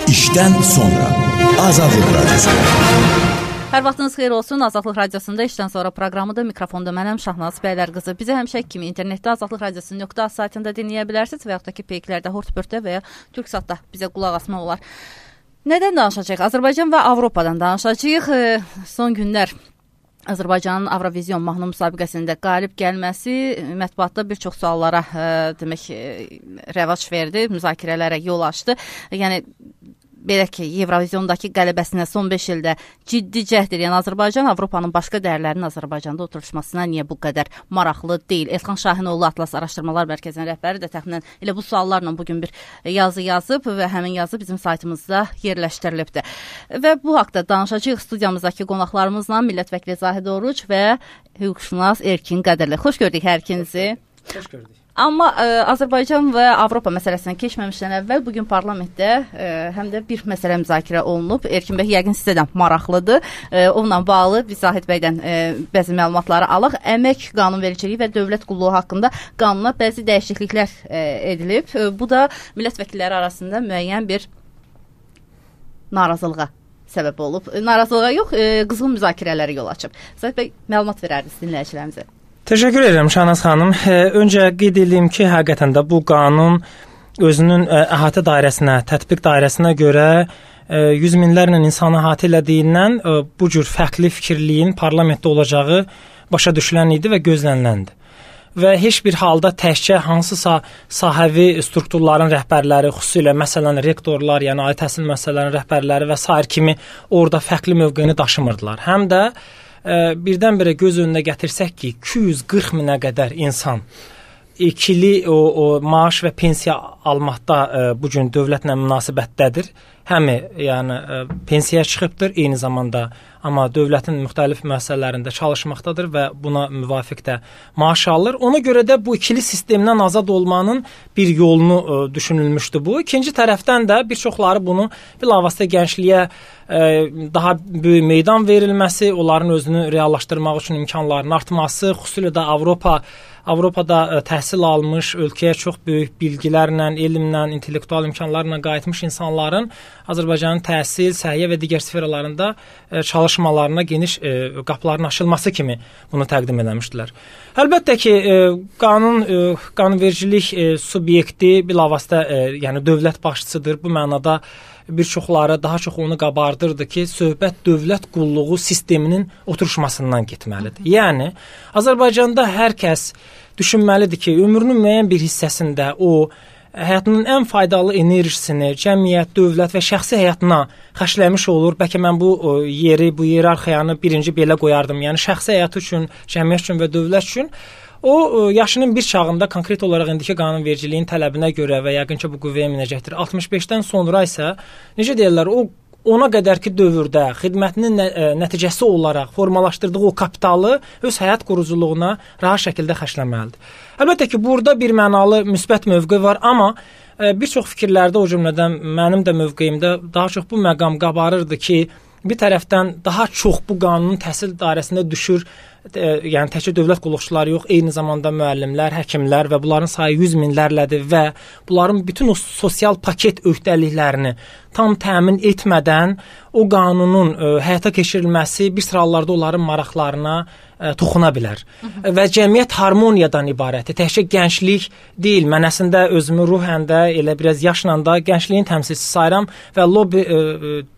İşdən sonra Azadlıq Radyosu. Hər vaxtınız xeyir olsun. Azadlıq Radiosunda işdən sonra proqramıdır. Mikrofonda mənəm Şahnaz Bəylərqızı. Bizi həmişə kimi internetdə Azadlıq Radiosu.az saytında dinləyə bilərsiniz və yaxud da ki, peyklərdə, Hortbörtdə və ya Türksatda bizə qulaq asmaq olar. Nədən danışacağıq? Azərbaycan və Avropadan danışacağıq. Son günlər Azərbaycanın Avrovizyon mahnı müsabiqəsində qalib gəlməsi mətbuatda bir çox suallara rəvac verdi, müzakirələrə yol açdı. Yəni belə ki, Evroviziyondakı qələbəsinə son 5 ildə ciddi cəhd edən Azərbaycan Avropanın başqa dəyərlərinin Azərbaycanda oturuşmasına niyə bu qədər maraqlı deyil? Elxan Şahinoğlu Atlas Araşdırmalar Mərkəzinin rəhbəri də təxminən elə bu suallarla bugün bir yazı yazıb və həmin yazı bizim saytımızda yerləşdirilibdir. Və bu haqda danışacağıq studiyamızdakı qonaqlarımızla millət vəkili Zahid Oruc və hüquqşünas Erkin Qədərli. Xoş gördük hər ikinizi. Xoş gördük. Amma Azərbaycan və Avropa məsələsinə keçməmişdən əvvəl bugün parlamentdə həm də bir məsələ müzakirə olunub. Erkin bəy yəqin sizə də maraqlıdır. Onunla bağlı biz Zahid bəydən bəzi məlumatları alaq. Əmək qanunvericiliyi və dövlət qulluğu haqqında qanuna bəzi dəyişikliklər edilib. Bu da millət vəkilləri arasında müəyyən bir narazılığa səbəb olub. Narazılığa yox, qızğın müzakirələrə yol açıb. Zahid bəy məlumat verərdiniz dinləyicilərimizə. Təşəkkür edirəm Şahnaz xanım. Öncə qeyd edeyim ki, həqiqətən də bu qanun özünün əhatə dairəsinə, tətbiq dairəsinə görə yüz minlərlə insanı əhatə elədiyindən bu cür fərqli fikirliyin parlamentdə olacağı başa düşülən idi və gözləniləndi. Və heç bir halda təkcə hansısa sahəvi strukturların rəhbərləri, xüsusilə məsələn rektorlar, yəni ali təhsil müəssisələrinin rəhbərləri və sair kimi orada fərqli mövqeyini daşımırdılar. Həm də birdən-birə göz önünə gətirsək ki, 240 minə qədər insan ikili o maaş və pensiya almaqda bu gün dövlətlə münasibətdədir. Həmi yəni pensiyaya çıxıbdır, eyni zamanda amma dövlətin müxtəlif müəssisələrində çalışmaqdadır və buna müvafiq də maaş alır. Ona görə də bu ikili sistemdən azad olmanın bir yolunu düşünülmüşdü bu. İkinci tərəfdən də bir çoxları bunu bilavasitə gəncliyə daha böyük meydan verilməsi, onların özünü reallaşdırmaq üçün imkanlarının artması, xüsusilə də Avropada təhsil almış, ölkəyə çox böyük bilgilərlə, elmlə, intellektual imkanlarla qayıtmış insanların Azərbaycanın təhsil, səhiyyə və digər sferalarında çalışmalarına geniş qapıların açılması kimi bunu təqdim etmişdilər. Əlbəttə ki, qanunvericilik subyekti bilavasitə yəni dövlət başçısıdır. Bu mənada bir çoxları daha çox onu qabardırdı ki, söhbət dövlət qulluğu sisteminin oturuşmasından getməlidir. Yəni, Azərbaycanda hər kəs düşünməlidir ki, ömrünün müəyyən bir hissəsində o, həyatının ən faydalı enerjisini cəmiyyət, dövlət və şəxsi həyatına xərcləmiş olur. Bəlkə mən bu iyerarxiyanı birinci belə qoyardım. Yəni, şəxsi həyat üçün, cəmiyyət üçün və dövlət üçün o yaşının bir çağında konkret olaraq indiki qanunvericiliyin tələbinə görə və yəqin ki, bu qüvvəyə minəcəkdir. 65-dən sonra isə, necə deyirlər, o ona qədərki dövrdə xidmətinin nəticəsi olaraq formalaşdırdığı o kapitalı öz həyat quruculuğuna rahat şəkildə xərcləməlidir. Əlbəttə ki, burada bir mənalı müsbət mövqe var, amma bir çox fikirlərdə, o cümlədən mənim də mövqeyimdə daha çox bu məqam qabarırdı ki, bir tərəfdən daha çox bu qanunun təhsil dairəsində düşür, yəni təkcə dövlət qulluqçuları yox, eyni zamanda müəllimlər, həkimlər və bunların sayı 100 minlərlədir və bunların bütün o sosial paket öhdəliklərini tam təmin etmədən o qanunun həyata keçirilməsi bir sıra hallarda onların maraqlarına toxuna bilər. Və cəmiyyət harmoniyadan ibarətdir. Təkcə gənclik deyil. Mən əslində özümü ruhən də elə biraz yaşla da gəncliyin təmsilçisi sayıram və lobbi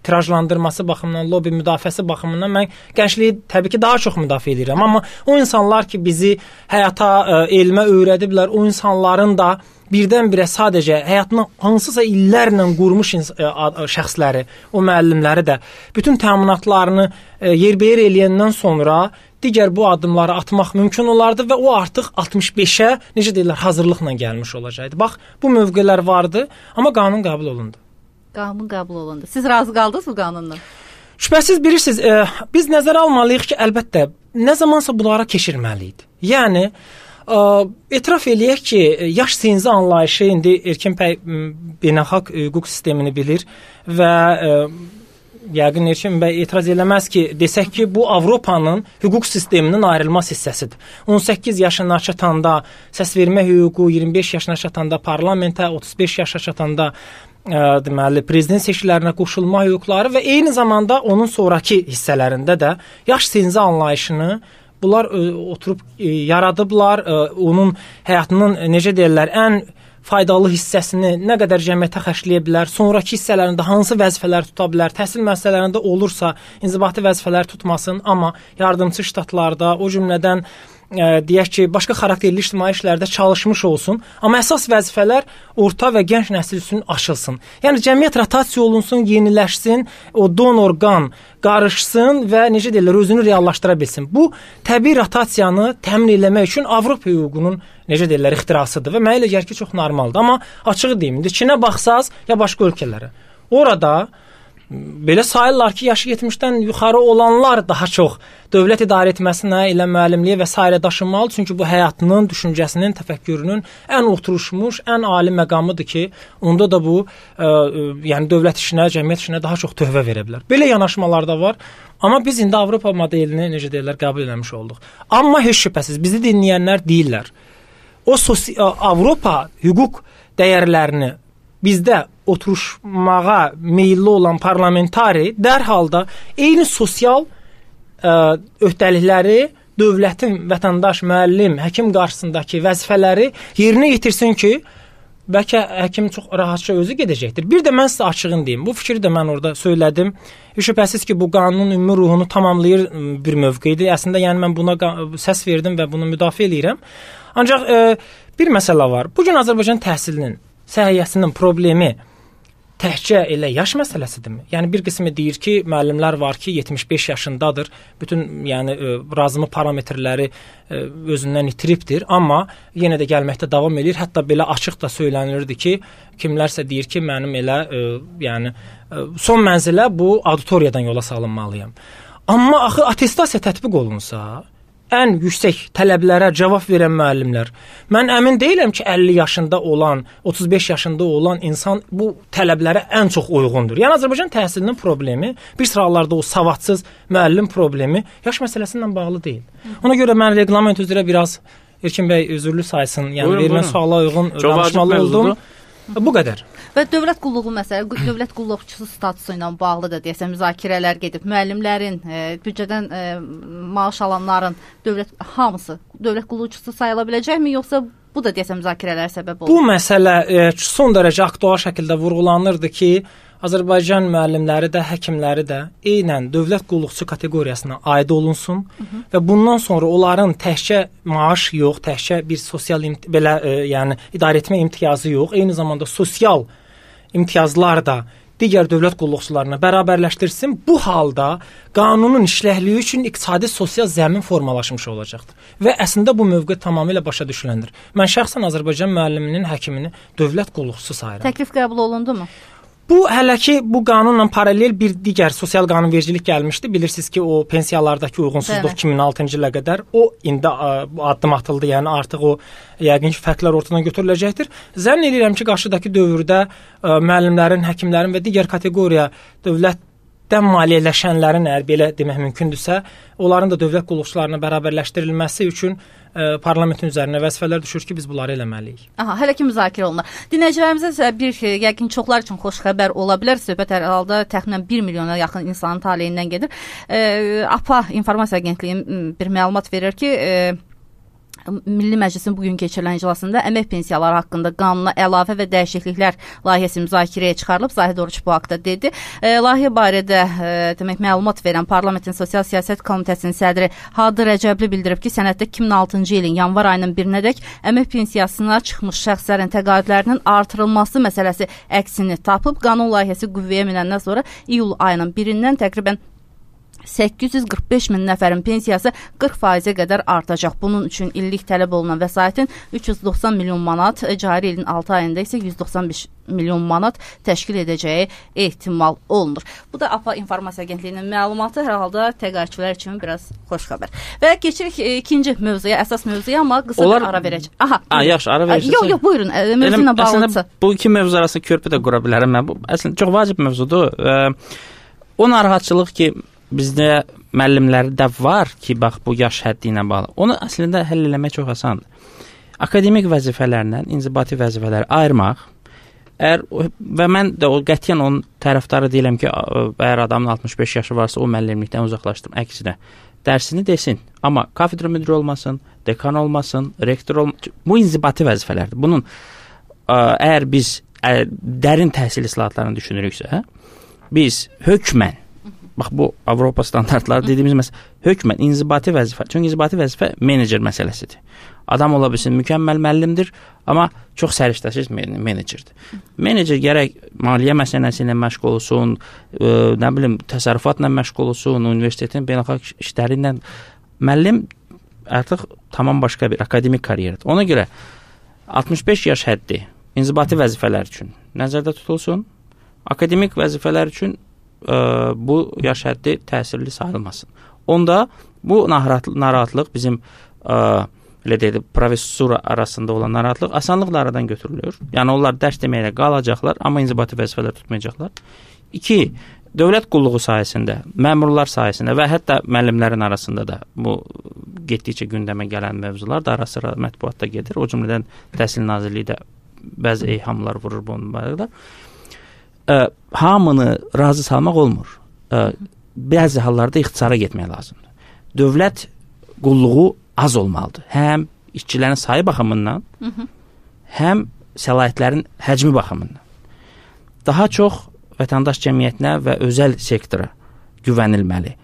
tirajlandırması baxımından, lobbi müdafiəsi baxımından mən gəncliyi təbii ki, daha çox müdafiə edirəm. Amma o insanlar ki, bizi həyata, elmə öyrədiblər, o insanların da birdən-birə sadəcə həyatını hansısa illərlə qurmuş şəxsləri, o müəllimləri də bütün təminatlarını yerbəyer eləyəndən sonra digər bu addımları atmaq mümkün olardı və o artıq 65-ə, necə deyirlər, hazırlıqla gəlmiş olacaqdı. Bax, bu mövqelər vardı, amma qanun qəbul olundu. Qanun qəbul olundu. Siz razı qaldınız bu qanunla? Şübhəsiz bilirsiniz, biz nəzərə almalıyıq ki, əlbəttə, nə zamansa bunlara keçirməliydi. Yəni, etiraf eləyək ki, yaş sinzi anlayışı indi Erkin bəy beynəlxalq hüquq sistemini bilir və yəqin Erkin bəy etiraz eləməz ki, desək ki, bu Avropanın hüquq sisteminin ayrılmaz hissəsidir. 18 yaşına çatanda səs vermə hüququ, 25 yaşına çatanda parlamentə, 35 yaşına çatanda deməli prezident seçkilərinə qoşulma hüquqları və eyni zamanda onun sonrakı hissələrində də yaş senzi anlayışını bunlar oturub yaradıblar. Onun həyatının necə deyirlər, ən faydalı hissəsini nə qədər cəmiyyətə xərcləyə bilər, sonrakı hissələrində hansı vəzifələr tuta bilər, təhsil müəssisələrində olursa inzibati vəzifələr tutmasın, amma yardımçı ştatlarda, o cümlədən deyək ki, başqa xarakterli ictimai işlərdə çalışmış olsun, amma əsas vəzifələr orta və gənc nəsil üçün açılsın. Yəni cəmiyyət rotasiya olunsun, yeniləşsin, o donor qan qarışsın və necə deyirlər, özünü reallaşdıra bilsin. Bu təbii rotasiyanı təmin etmək üçün Avropa hüququnun necə deyirlər, ixtirasıdır və mənə elə gəlir ki, çox normaldır. Amma açığı deyim, indi Çinə baxsaz ya başqa ölkələrə, orada belə sayırlar ki, yaşı 70-dən yuxarı olanlar daha çox dövlət idarə etməsinə, elə müəllimliyə və s. daşınmalı. Çünki bu həyatının, düşüncəsinin, təfəkkürünün ən oturuşmuş, ən ali məqamıdır ki, onda da bu yəni dövlət işinə, cəmiyyət işinə daha çox töhfə verə bilər. Belə yanaşmalar da var. Amma biz indi Avropa modelini necə deyirlər, qəbul etmiş olduq. Amma heç şübhəsiz bizi dinləyənlər deyirlər. O Avropa hüquq dəyərlərini bizdə oturuşmağa meyilli olan parlamentari dərhal da eyni sosial öhdəlikləri dövlətin, vətəndaş, müəllim, həkim qarşısındakı vəzifələri yerinə yetirsin ki, bəlkə həkim çox rahatca özü gedəcəkdir. Bir də mən sizə açığın deyim, bu fikri də mən orada söylədim. Şübhəsiz ki, bu qanunun ümumi ruhunu tamamlayır bir mövqedir. Əslində, yəni mən buna səs verdim və bunu müdafiə edirəm. Ancaq bir məsələ var. Bu gün Azərbaycan təhsilinin, səhiyyəsinin problemi təhcə elə yaş məsələsidirmi? Yəni bir qismi deyir ki, müəllimlər var ki, 75 yaşındadır. Bütün yəni razımı parametrləri özündən itiribdir, amma yenə də gəlməkdə davam edir. Hətta belə açıq da söylənilirdi ki, kimlərsə deyir ki, mənim elə yəni son mənzilə bu auditoriyadan yola salınmalıyam. Amma axı attestasiya tətbiq olunsa, ən yüksək tələblərə cavab verən müəllimlər. Mən əmin deyiləm ki, 50 yaşında olan, 35 yaşında olan insan bu tələblərə ən çox uyğundur. Yəni Azərbaycan təhsilinin problemi, bir sıralarda o savadsız müəllim problemi yaş məsələsindən bağlı deyil. Ona görə mən reqlament üzrə biraz Erkin bəy özürlü saysın. Yəni verilən suala uyğun danışmalı oldum. Bu qədər. Və dövlət qulluğu məsələ, dövlət qulluqçusu statusu ilə bağlı da deyəsən müzakirələr gedib. Müəllimlərin, büdcədən maaş alanların hamısı dövlət qulluqçusu sayıla biləcəkmi, yoxsa bu da deyəsən müzakirələrə səbəb olur? Bu məsələ son dərəcə aktual şəkildə vurğulanırdı ki, Azərbaycan müəllimləri də, həkimləri də eynən dövlət qulluqçu kateqoriyasına aid olunsun və bundan sonra onların təkcə maaş yox, təkcə bir sosial belə yəni idarə etmə imtiyazı yox, eyni zamanda sosial imtiyazlar da digər dövlət qulluqçularına bərabərləşdirsin. Bu halda qanunun işləkliyi üçün iqtisadi sosial zəmin formalaşmış olacaqdır. Və əslində bu mövqe tamamilə başa düşüləndir. Mən şəxsən Azərbaycan müəlliminin, həkimini dövlət qulluqçusu sayıram. Təklif qəbul olundu mu? Bu hələ ki bu qanunla paralel bir digər sosial qanunvericilik gəlmişdi. Bilirsiniz ki, o pensiyalardakı uyğunsuzluq 2006-cı ilə qədər o indi addım atıldı. Yəni artıq o yəqin ki fərqlər ortadan götürüləcəkdir. Zənn edirəm ki, qarşıdakı dövrdə müəllimlərin, həkimlərin və digər kateqoriya dövlətdən maliyyələşənlərin, əgər belə demək mümkündürsə, onların da dövlət qulluqçularına bərabərləşdirilməsi üçün parlamentin üzərinə vəzifələr düşür ki, biz bunları eləməliyik. Hələ ki müzakirə olunur. Dinləyicilərimizə bir yəqin çoxlar üçün xoş xəbər ola bilər. Söhbət hər halda təxminən 1 milyona yaxın insanın taleyindən gedir. APA İnformasiya Agentliyinin bir məlumat verir ki, Milli Məclisin bugün keçirilən iclasında əmək pensiyaları haqqında qanuna əlavə və dəyişikliklər layihəsi müzakirəyə çıxarılıb. Zahid Oruç bu haqda dedi. Layihə barədə demək məlumat verən Parlamentin Sosial Siyasət Komitəsinin sədri Hadi Rəcəbli bildirib ki, sənəddə 2006-cı ilin yanvar ayının 1-nədək əmək pensiyasına çıxmış şəxslərin təqaüdlərinin artırılması məsələsi əksini tapıb. Qanun layihəsi qüvvəyə minəndən sonra iyul ayının 1-dən təqribən 845 min nəfərin pensiyası 40%-ə qədər artacaq. Bunun üçün illik tələb olunan vəsaitin 390 milyon manat, cari ilin 6 ayında isə 195 milyon manat təşkil edəcəyi ehtimal olunur. Bu da APA İnformasiya Agentliyinin məlumatı, hər halda təqaüdçülər üçün biraz xoş xəbər. Və keçirik ikinci mövzuya, əsas mövzuya, amma qısa bir ara verəcək. Yaxşı, ara verəcəksən. Yox, buyurun, mövzu ilə bağlıdırsa. Bu iki mövzu arasında körpü də qura bilərəm mən. Bu əslində çox vacib mövzudur. O narahatçılıq ki, bizdə müəllimlərdə var ki, bax bu yaş həddi ilə bağlı. Onu əslində həll eləmək çox asandır. Akademik vəzifələrlə inzibati vəzifələri ayırmaq, Və mən də o qətiyyən onun tərəfdarı deyiləm ki, əgər adamın 65 yaşı varsa o müəllimlikdən uzaqlaşdırım. Əksinə, dərsini desin, amma kafedra müdiri olmasın, dekan olmasın, rektor olmasın. Bu inzibati vəzifələrdir. Bunun əgər biz dərin təhsil islahatlarını düşünürüksə, biz hökmən, bax bu Avropa standartları dediyimiz məsələ, hökmən inzibati vəzifə, çünki inzibati vəzifə menecer məsələsidir. Adam ola bilsin, mükəmməl müəllimdir, amma çox səriştəsiz menecerdir. Menecer gərək maliyyə məsələsi ilə məşğul olsun, nə bilim, təsərrüfatla məşğul olsun, universitetin beynəlxalq işləri ilə. Müəllim artıq tamam başqa bir akademik karyeradır. Ona görə 65 yaş həddi inzibati vəzifələr üçün nəzərdə tutulsun, akademik vəzifələr üçün bu yaş həddi təsirli sayılmasın. Onda bu narahatlıq bizim elə deyək, professura arasında olan narahatlıq asanlıqla aradan götürülür. Yəni onlar dərs deməklə qalacaqlar, amma inzibati vəzifələr tutmayacaqlar. 2. Dövlət qulluğu sayəsində, məmurlar sayəsində və hətta müəllimlərin arasında da bu getdikcə gündəmə gələn mövzular da ara-sıra mətbuatda gedir. O cümlədən Təhsil Nazirliyi də bəzi eyhamlar vurur bunun barədə. Hamını razı salmaq olmur. Bəzi hallarda ixtisara getmək lazımdır. Dövlət qulluğu az olmalıdır. Həm işçilərin sayı baxımından, həm səlahiyyətlərin həcmi baxımından. Daha çox vətəndaş cəmiyyətinə və özəl sektora güvənilməli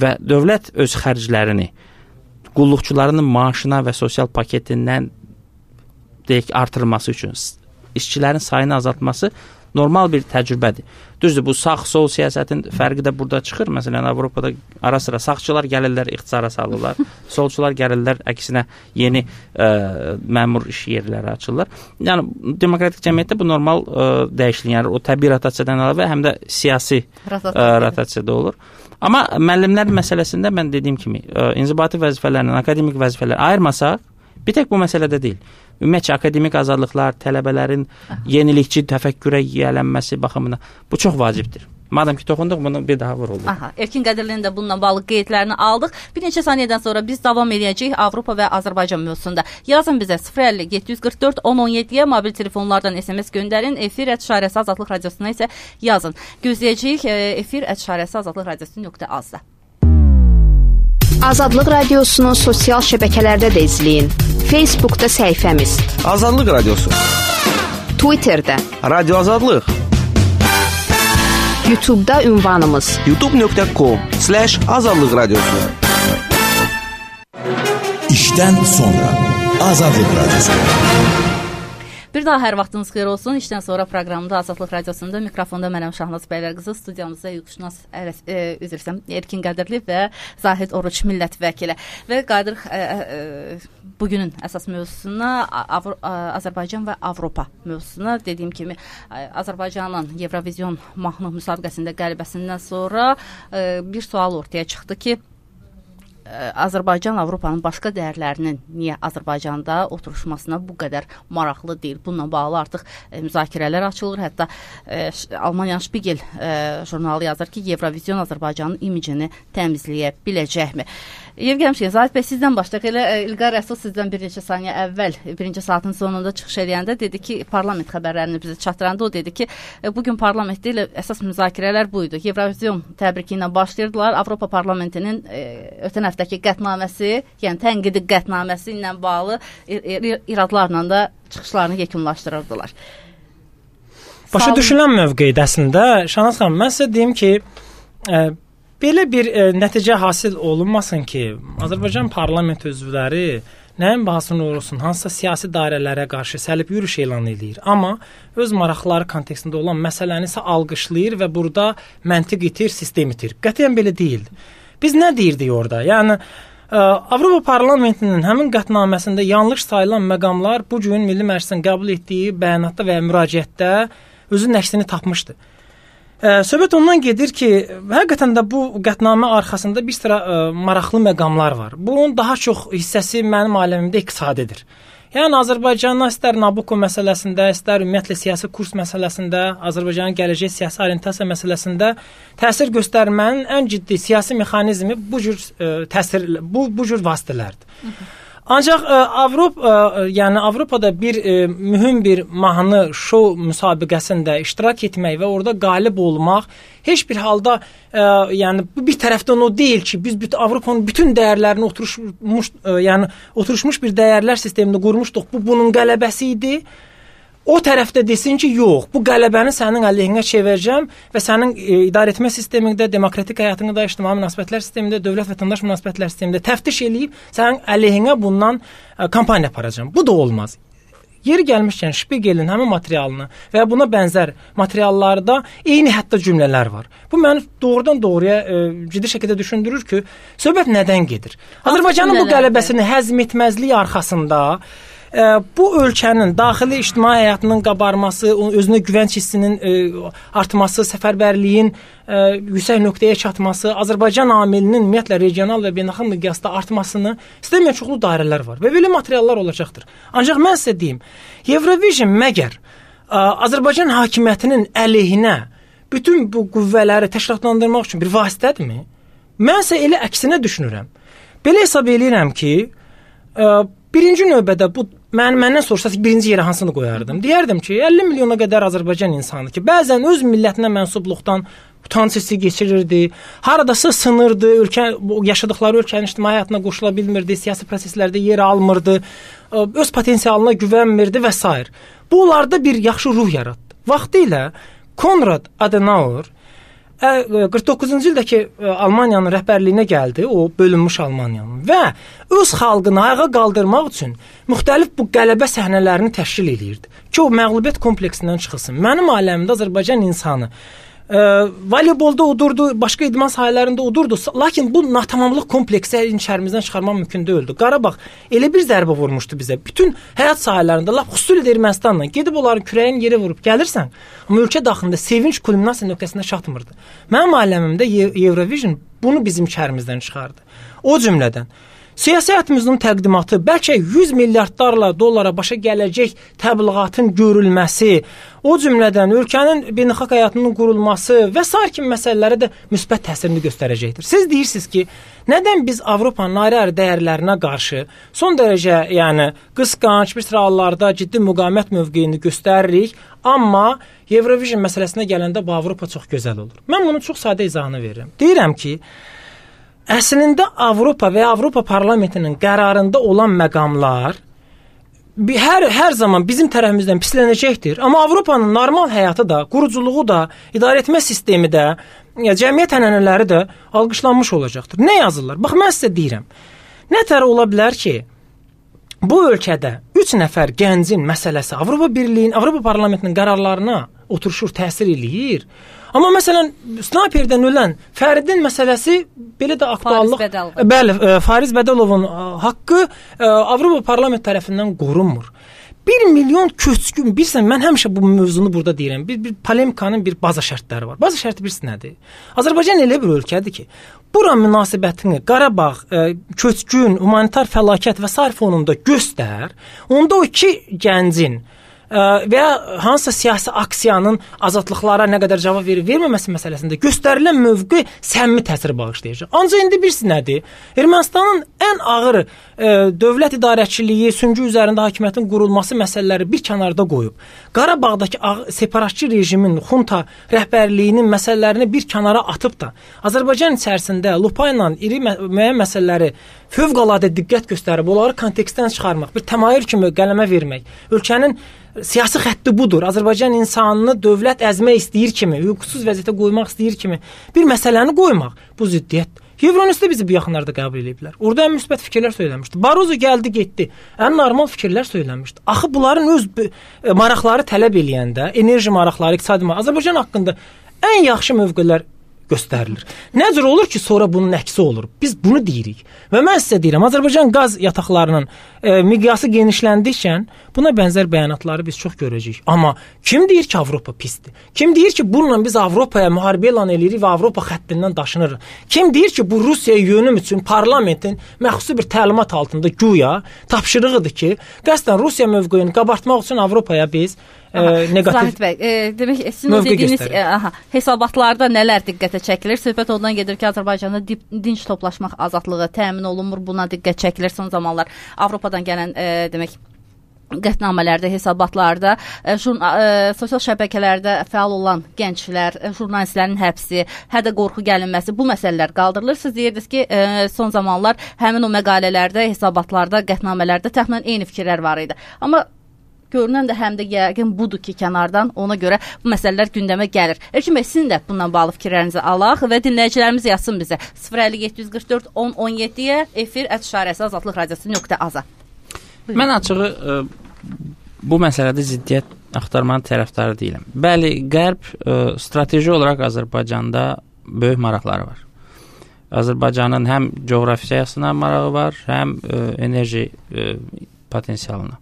və dövlət öz xərclərini qulluqçularının maaşına və sosial paketindən artırılması üçün işçilərin sayını azaltması normal bir təcrübədir. Düzdür, bu sağ-sol siyasətin fərqi də burada çıxır. Məsələn, Avropada ara-sıra sağçılar gəlirlər, ixtisara salırlar. Solçular gəlirlər, əksinə yeni məmur iş yerləri açırlar. Yəni, demokratik cəmiyyətdə bu normal dəyişiklik. Yəni, o təbii rotasiyadan əlavə həm də siyasi rotasiyada olur. Amma müəllimlər məsələsində mən dediyim kimi, inzibati vəzifələrlə akademik vəzifələr ayırmasaq, bir tək bu məsələdə deyil. Ümumiyyətcə, akademik azadlıqlar, tələbələrin yenilikçi təfəkkürə yiyələnməsi baxımından bu çox vacibdir. Madəm ki, toxunduq, bunu bir daha vuruldu. Erkin Qədirlinin də bununla bağlı qeydlərini aldıq. Bir neçə saniyədən sonra biz davam edəcəyik Avropa və Azərbaycan mövzusunda. Yazın bizə 050-744-1017-yə, mobil telefonlardan SMS göndərin. Efir @azadlıq radiosuna isə yazın. Gözləyəcəyik efir @azadlıq radiosu.az-da. Azadlıq Radiosunu sosial şəbəkələrdə də izləyin. Facebookda səhifəmiz Azadlıq Radiosu, Twitterdə Radio Azadlıq, YouTube'da ünvanımız youtube.com/azadlıq radiosu. İşdən sonra Azadlıq Radiosu. Bir daha hər vaxtınız xeyir olsun. İşdən sonra proqramında Azadlıq Radiosunda mikrofonda mənəm Şahnaz Bəylərqızı, studiyamızda hüquqşünas Erkin Qədirli və Zahid Oruç millət vəkili. Və Qadir bugünün əsas mövzusuna Azərbaycan və Avropa mövzusuna, dediyim kimi Azərbaycanın Evrovizyon mahnı müsabiqəsində qələbəsindən sonra bir sual ortaya çıxdı ki, Azərbaycan Avropanın başqa dəyərlərinin niyə Azərbaycanda oturuşmasına bu qədər maraqlı deyil? Bununla bağlı artıq müzakirələr açılır. Hətta Almaniyanın Spiegel jurnalı yazır ki, Evrovizyon Azərbaycanın imicini təmizləyə biləcəkmi? Yer gəlmişkən, Zahid bəy, sizdən başlayaq. Elə İlqar Rəsul sizdən bir neçə saniyə əvvəl, birinci saatın sonunda çıxış edəndə dedi ki, parlament xəbərlərini bizə çatdıranda o dedi ki, bugün parlamentdə ilə əsas müzakirələr buydu. Evrovizyon təbriki ilə başlayırdılar. Avropa parlamentinin ötən həftəki qətnaməsi, yəni tənqidi qətnaməsi ilə bağlı iradlarla da çıxışlarını yekunlaşdırırdılar. Başa düşülən mövqeyidir əslində. Şahnaz xanım, mən sizə deyim ki, belə bir nəticə hasil olunmasın ki, Azərbaycan parlament üzvləri nəyin bahasına olursun, hansısa siyasi dairələrə qarşı səlib yürüş elan edir. Amma öz maraqları kontekstində olan məsələni isə alqışlayır və burada məntiq itir, sistem itir. Qətiyyən belə deyil. Biz nə deyirdik orada? Yəni, Avropa parlamentinin həmin qətnaməsində yanlış sayılan məqamlar bu gün Milli Məclisin qəbul etdiyi bəyanatda və müraciyətdə özünün əksini tapmışdı. Söhbət ondan gedir ki, həqiqətən də bu qətnamə arxasında bir sıra maraqlı məqamlar var. Bunun daha çox hissəsi mənim aləmimdə iqtisadidir. Yəni Azərbaycanın istər Nabucco məsələsində, istər ümumiyyətlə siyasi kurs məsələsində, Azərbaycanın gələcək siyasi orientasiya məsələsində təsir göstərmənin ən ciddi siyasi mexanizmi bu cür vasitələrdir. Ancaq Avropada bir mühüm bir mahnı şou müsabiqəsində iştirak etmək və orada qalib olmaq heç bir halda bu bir tərəfdən o deyil ki, biz Avropanın bütün dəyərlərini oturmuş bir dəyərlər sistemini qurmuşduq. Bu bunun qələbəsi idi. O tərəfdə desin ki, yox, bu qələbəni sənin əleyhinə çevirəcəm və sənin idarəetmə sistemində, demokratik həyatında, ictimai münasibətlər sistemində, dövlət-vətəndaş münasibətlər sistemində təftiş eləyib sənin əleyhinə bundan kampaniya aparacağam. Bu da olmaz. Yeri gəlmişkən Spiegelin həmin materialını və buna bənzər materiallarda eyni hətta cümlələr var. Bu məni doğrudan doğruya ciddi şəkildə düşündürür ki, söhbət nədən gedir? Azərbaycanın bu qələbəsini həzm etməzliyi arxasında bu ölkənin daxili ictimai həyatının qabarması, özünə güvənc hissinin artması, səfərbərliyin yüksək nöqtəyə çatması, Azərbaycan amilinin ümumiyyətlə regional və beynəlxalq miqyasda artmasını istəməyən çoxlu dairələr var və belə materiallar olacaqdır. Ancaq mən sizə deyim, Eurovision məgər Azərbaycan hakimiyyətinin əleyhinə bütün bu qüvvələri təşkilatlandırmaq üçün bir vasitədirmi? Mən isə elə əksinə düşünürəm. Belə hesab edirəm ki, birinci növbədə bu məndən soruşsaq birinci yerə hansını qoyardım? Deyərdim ki, 50 milyona qədər Azərbaycan insanı ki, bəzən öz millətinə mənsubluqdan utanc hissi keçirirdi, haradasa sınırdı, yaşadıkları ölkənin ictimai həyatına qoşula bilmirdi, siyasi proseslərdə yer almırdı, öz potensialına güvənmirdi və s. Bu onlarda bir yaxşı ruh yaratdı. Vaxtilə Konrad Adenauer 49-cu ildəki Almaniyanın rəhbərliyinə gəldi, o bölünmüş Almaniyanın və öz xalqını ayağa qaldırmaq üçün müxtəlif bu qələbə səhnələrini təşkil edirdi ki, o məğlubiyyət kompleksindən çıxılsın. Mənim aləmimdə Azərbaycan insanı voleybolda udurdu, başqa idman sahələrində udurdu, lakin bu natamamlıq kompleksi içərimizdən çıxarmaq mümkün deyildi. Qarabağ elə bir zərbə vurmuşdu bizə, bütün həyat sahələrində, lap xüsusilə Ermənistanla gedib onların kürəyin yeri vurub gəlirsən, amma ölkə daxilində sevinç kulminasiya nöqtəsinə çatmırdı. Mənim aləmimdə Eurovision bunu bizim içərimizdən çıxardı. O cümlədən siyasi həyatımızın təqdimatı, bəlkə 100 milyardlarla dollara başa gələcək təbliğatın görülməsi, o cümlədən ölkənin beynəlxalq həyatının qurulması və sair kimi məsələlərə də müsbət təsirini göstərəcəkdir. Siz deyirsiniz ki, nədən biz Avropanın ayrı-ayrı dəyərlərinə qarşı son dərəcə, qısqanc bir sıra hallarda ciddi müqavimət mövqeyini göstəririk, amma Eurovision məsələsinə gələndə bu Avropa çox gözəl olur. Mən bunun çox sadə izahını verirəm. Deyirəm ki, əslində Avropa və Avropa parlamentinin qərarında olan məqamlar hər zaman bizim tərəfimizdən pislənəcəkdir. Amma Avropanın normal həyatı da, quruculuğu da, idarəetmə sistemi də, cəmiyyət ənənələri də alqışlanmış olacaqdır. Nə yazırlar? Bax, mən sizə deyirəm. Nətər ola bilər ki, bu ölkədə 3 nəfər gəncin məsələsi Avropa Birliyinin, Avropa parlamentinin qərarlarına oturuşur, təsir eləyir. Amma məsələn, snayperdən ölən Fəridin məsələsi belə də aktuallıq. Bəli, Fariz Bədəlovun haqqı Avropa parlament tərəfindən qorunmur. 1 milyon köçkün, bilirsən, mən həmişə bu mövzunu burada deyirəm. Bir polemikanın bir baza şərtləri var. Baza şərti birisi nədir? Azərbaycan elə bir ölkədir ki, bura münasibətini Qarabağ, köçkün, humanitar fəlakət və sair fonunda göstər. Onda o 2 gəncin və hansısa siyasi aksiyanın azadlıqlara nə qədər cavab verməməsi məsələsində göstərilən mövqe səmimi təsir bağışlayacaq. Ancaq indi birisi nədir? Ermənistanın ən ağır dövlət idarəçiliyi, süngü üzərində hakimiyyətin qurulması məsələləri bir kənarda qoyub, Qarabağdakı separatçı rejimin, xunta rəhbərliyinin məsələlərini bir kənara atıb da, Azərbaycan içərisində lupa ilə iri müəyyən məsələləri fövqəladə diqqət göstərib, onları kontekstdən çıxarmaq, bir təmayül kimi qələmə vermək, ölkənin siyasi xətti budur. Azərbaycan insanını dövlət əzmək istəyir kimi, hüquqsuz vəziyyətə qoymaq istəyir kimi bir məsələni qoymaq bu ziddiyyətdir. Euronews'da bizi bu yaxınlarda qəbul ediblər. Orada ən müsbət fikirlər söyləmişdi. Barozo gəldi, getdi. Ən normal fikirlər söyləmişdi. Axı bunların öz maraqları tələb eləyəndə, enerji maraqları, iqtisadi maraqları Azərbaycan haqqında ən yaxşı mövqelər göstərilir. Nə cür olur ki, sonra bunun əksi olur? Biz bunu deyirik. Və mən sizə deyirəm, Azərbaycan qaz yataqlarının miqyası genişləndikcə buna bənzər bəyanatları biz çox görəcəyik. Amma kim deyir ki, Avropa pisdir? Kim deyir ki, bununla biz Avropaya müharibə elan edirik və Avropa xəttindən daşınırıq? Kim deyir ki, bu Rusiyaya yönüm üçün parlamentin məxsusi bir təlimat altında güya tapşırığıdır ki, qəsdən Rusiya mövqeyini qabartmaq üçün Avropaya biz negativ Zahid bəy, demək sizin o dediyiniz hesabatlarda nələr diqqətə çəkilir? Söhbət ondan gedir ki, Azərbaycanda dinc toplaşmaq azadlığı təmin olunmur. Buna diqqət çəkilir son zamanlar Avropadan gələn demək qətnamələrdə, hesabatlarda, sosial şəbəkələrdə fəal olan gənclər, jurnalistlərin həbsi, hədə qorxu gəlinməsi, bu məsələlər qaldırılır. Siz deyirdiniz ki, son zamanlar həmin o məqalələrdə, hesabatlarda, qətnamələrdə təxminən eyni fikirlər var idi. Amma görünən də həm də yəqin budur ki, kənardan ona görə bu məsələlər gündəmə gəlir. Elçin bəy, sizin də bundan bağlı fikirlərinizi alaq və dinləyicilərimiz yazsın bizə. 05744 1017-yə efir @azadlıqradiosu.az. Mən açığı bu məsələdə ziddiyyət axtarmanın tərəfdarı deyiləm. Bəli, Qərb strateji olaraq Azərbaycanda böyük maraqları var. Azərbaycanın həm coğrafiyasına marağı var, həm enerji potensialına.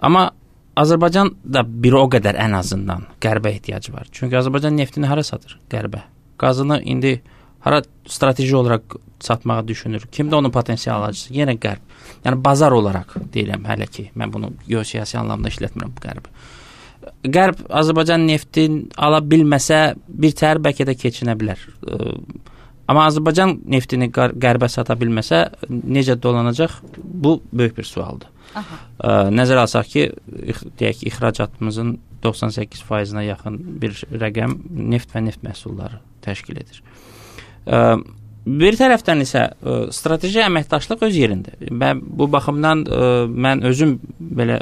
Amma Azərbaycan da bir o qədər ən azından Qərbə ehtiyacı var. Çünki Azərbaycan neftini hara satır? Qərbə. Qazını indi hara strateji olaraq satmağı düşünür? Kimdə onun potensial alıcısı? Yenə Qərb. Yəni bazar olaraq deyirəm hələ ki, mən bunu geosiyasi anlamda işlətmirəm bu Qərbi. Qərb Azərbaycan neftin ala bilməsə bir təhər bəlkə də keçinə bilər. Amma Azərbaycan neftini Qərbə sata bilməsə necə dolanacaq? Bu böyük bir sualdır. Nəzərə alsaq ki, deyək ki, ixracatımızın 98%-nə yaxın bir rəqəm neft və neft məhsulları təşkil edir. Bir tərəfdən isə strateji əməkdaşlıq öz yerində. Və bu baxımdan mən özüm belə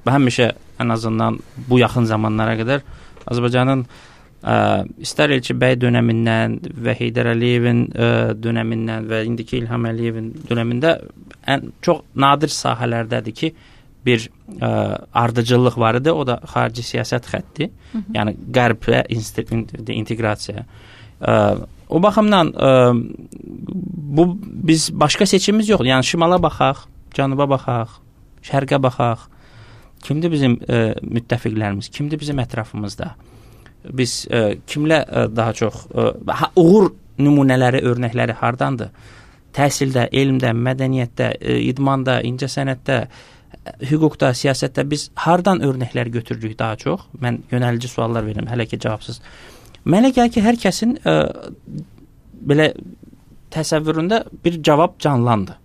həmişə ən azından bu yaxın zamanlara qədər Azərbaycanın istər Elçi bəy dönəmindən və Heydər Əliyevin dönəmindən və indiki İlham Əliyevin dönəmində çox nadir sahələrdədir ki, bir ardıcıllıq var idi. O da xarici siyasət xətti. Yəni Qərbə inteqrasiya. O baxımdan biz başqa seçimimiz yoxdur. Yəni şimala baxaq, cənuba baxaq, şərqə baxaq. Kimdir bizim müttəfiqlərimiz? Kimdir bizim ətrafımızda? Biz kimlə daha çox uğur nümunələri, örnəkləri hardandır? Təhsildə, elmdə, mədəniyyətdə, idmanda, incəsənətdə, hüquqda, siyasətdə biz hardan örnəklər götürürük daha çox? Mən yönəlici suallar verirəm, hələ ki cavabsız. Mənə gəlir ki, hər kəsin belə təsəvvüründə bir cavab canlandı.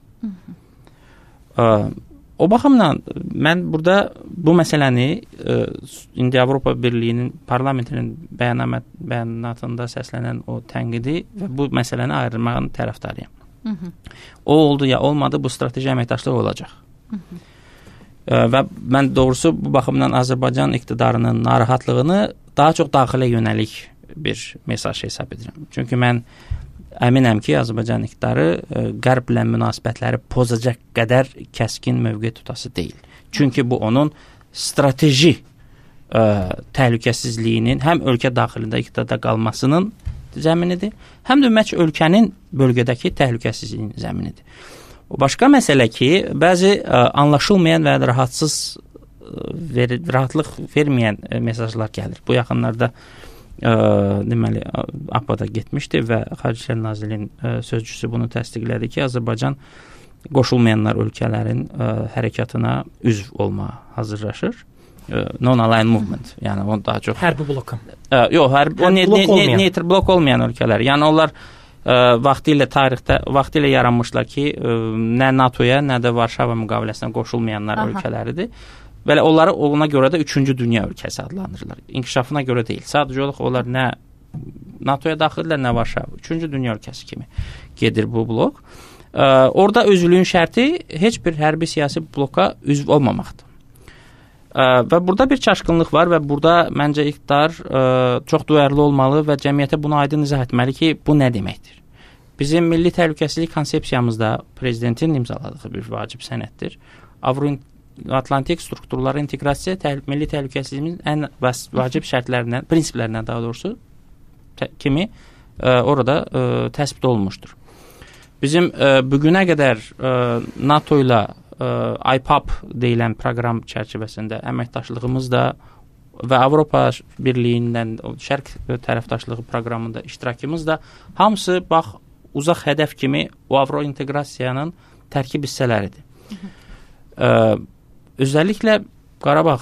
O baxımdan mən burada bu məsələni indi Avropa Birliyinin parlamentinin bəyanatında səslənən o tənqidi və bu məsələni ayırmağın tərəfdarıyam. O oldu ya olmadı, bu strateji əməkdaşlıq olacaq. Və mən doğrusu bu baxımdan Azərbaycan iqtidarının narahatlığını daha çox daxilə yönəlik bir mesaj hesab edirəm. Çünki mən əminəm ki, Azərbaycan iqtidarı Qərblə münasibətləri pozacaq qədər kəskin mövqe tutası deyil. Çünki bu onun strateji təhlükəsizliyinin həm ölkə daxilində iqtidarda qalmasının zəminidir, həm də ümumiyyətlə ölkənin bölgədəki təhlükəsizliyinin zəminidir. O başqa məsələ ki, bəzi anlaşılmayan və rahatlıq verməyən mesajlar gəlir. Bu yaxınlarda deməli APA-da getmişdi və Xarici İşlər Nazirliyinin sözcüsü bunu təsdiqlədi ki, Azərbaycan qoşulmayanlar ölkələrin hərəkatına üzv olmağa hazırlaşır. Non-aligned movement. Yəni o daha çox hərbi bloka. Yox, neytr blok olmayan ölkələr. Yəni onlar vaxtilə yaranmışlar ki, nə NATO-ya, nə də Varşava müqaviləsinə qoşulmayanlar ölkələridir. Belə onları ona görə də 3-cü dünya ölkəsi adlandırırlar. İnkişafına görə deyil. Sadəcə olaraq onlar nə NATO-ya daxildirlər, nə Varşava. 3-cü dünya ölkəsi kimi gedir bu blok. Orada özlüyün şərti heç bir hərbi siyasi bloka üzv olmamaqdır. Və burada bir çaşqınlıq var və burada məncə iqtidar çox duyarlı olmalı və cəmiyyətə bunu aydın izah etməli ki, bu nə deməkdir? Bizim milli təhlükəsizlik konsepsiyamızda prezidentin imzaladığı bir vacib sənəddir. Avro-Atlantik strukturlara inteqrasiya milli təhlükəsizliyimizin ən vacib şərtlərindən, prinsiplərindən daha doğrusu kimi orada təsbit olunmuşdur. Bizim bugünə qədər NATO ilə IPAP deyilən proqram çərçivəsində əməkdaşlığımız da və Avropa Birliyindən Şərq tərəfdaşlığı proqramında iştirakımız da hamısı bax uzaq hədəf kimi o Avro inteqrasiyanın tərkib hissələridir. Özəlliklə Qarabağ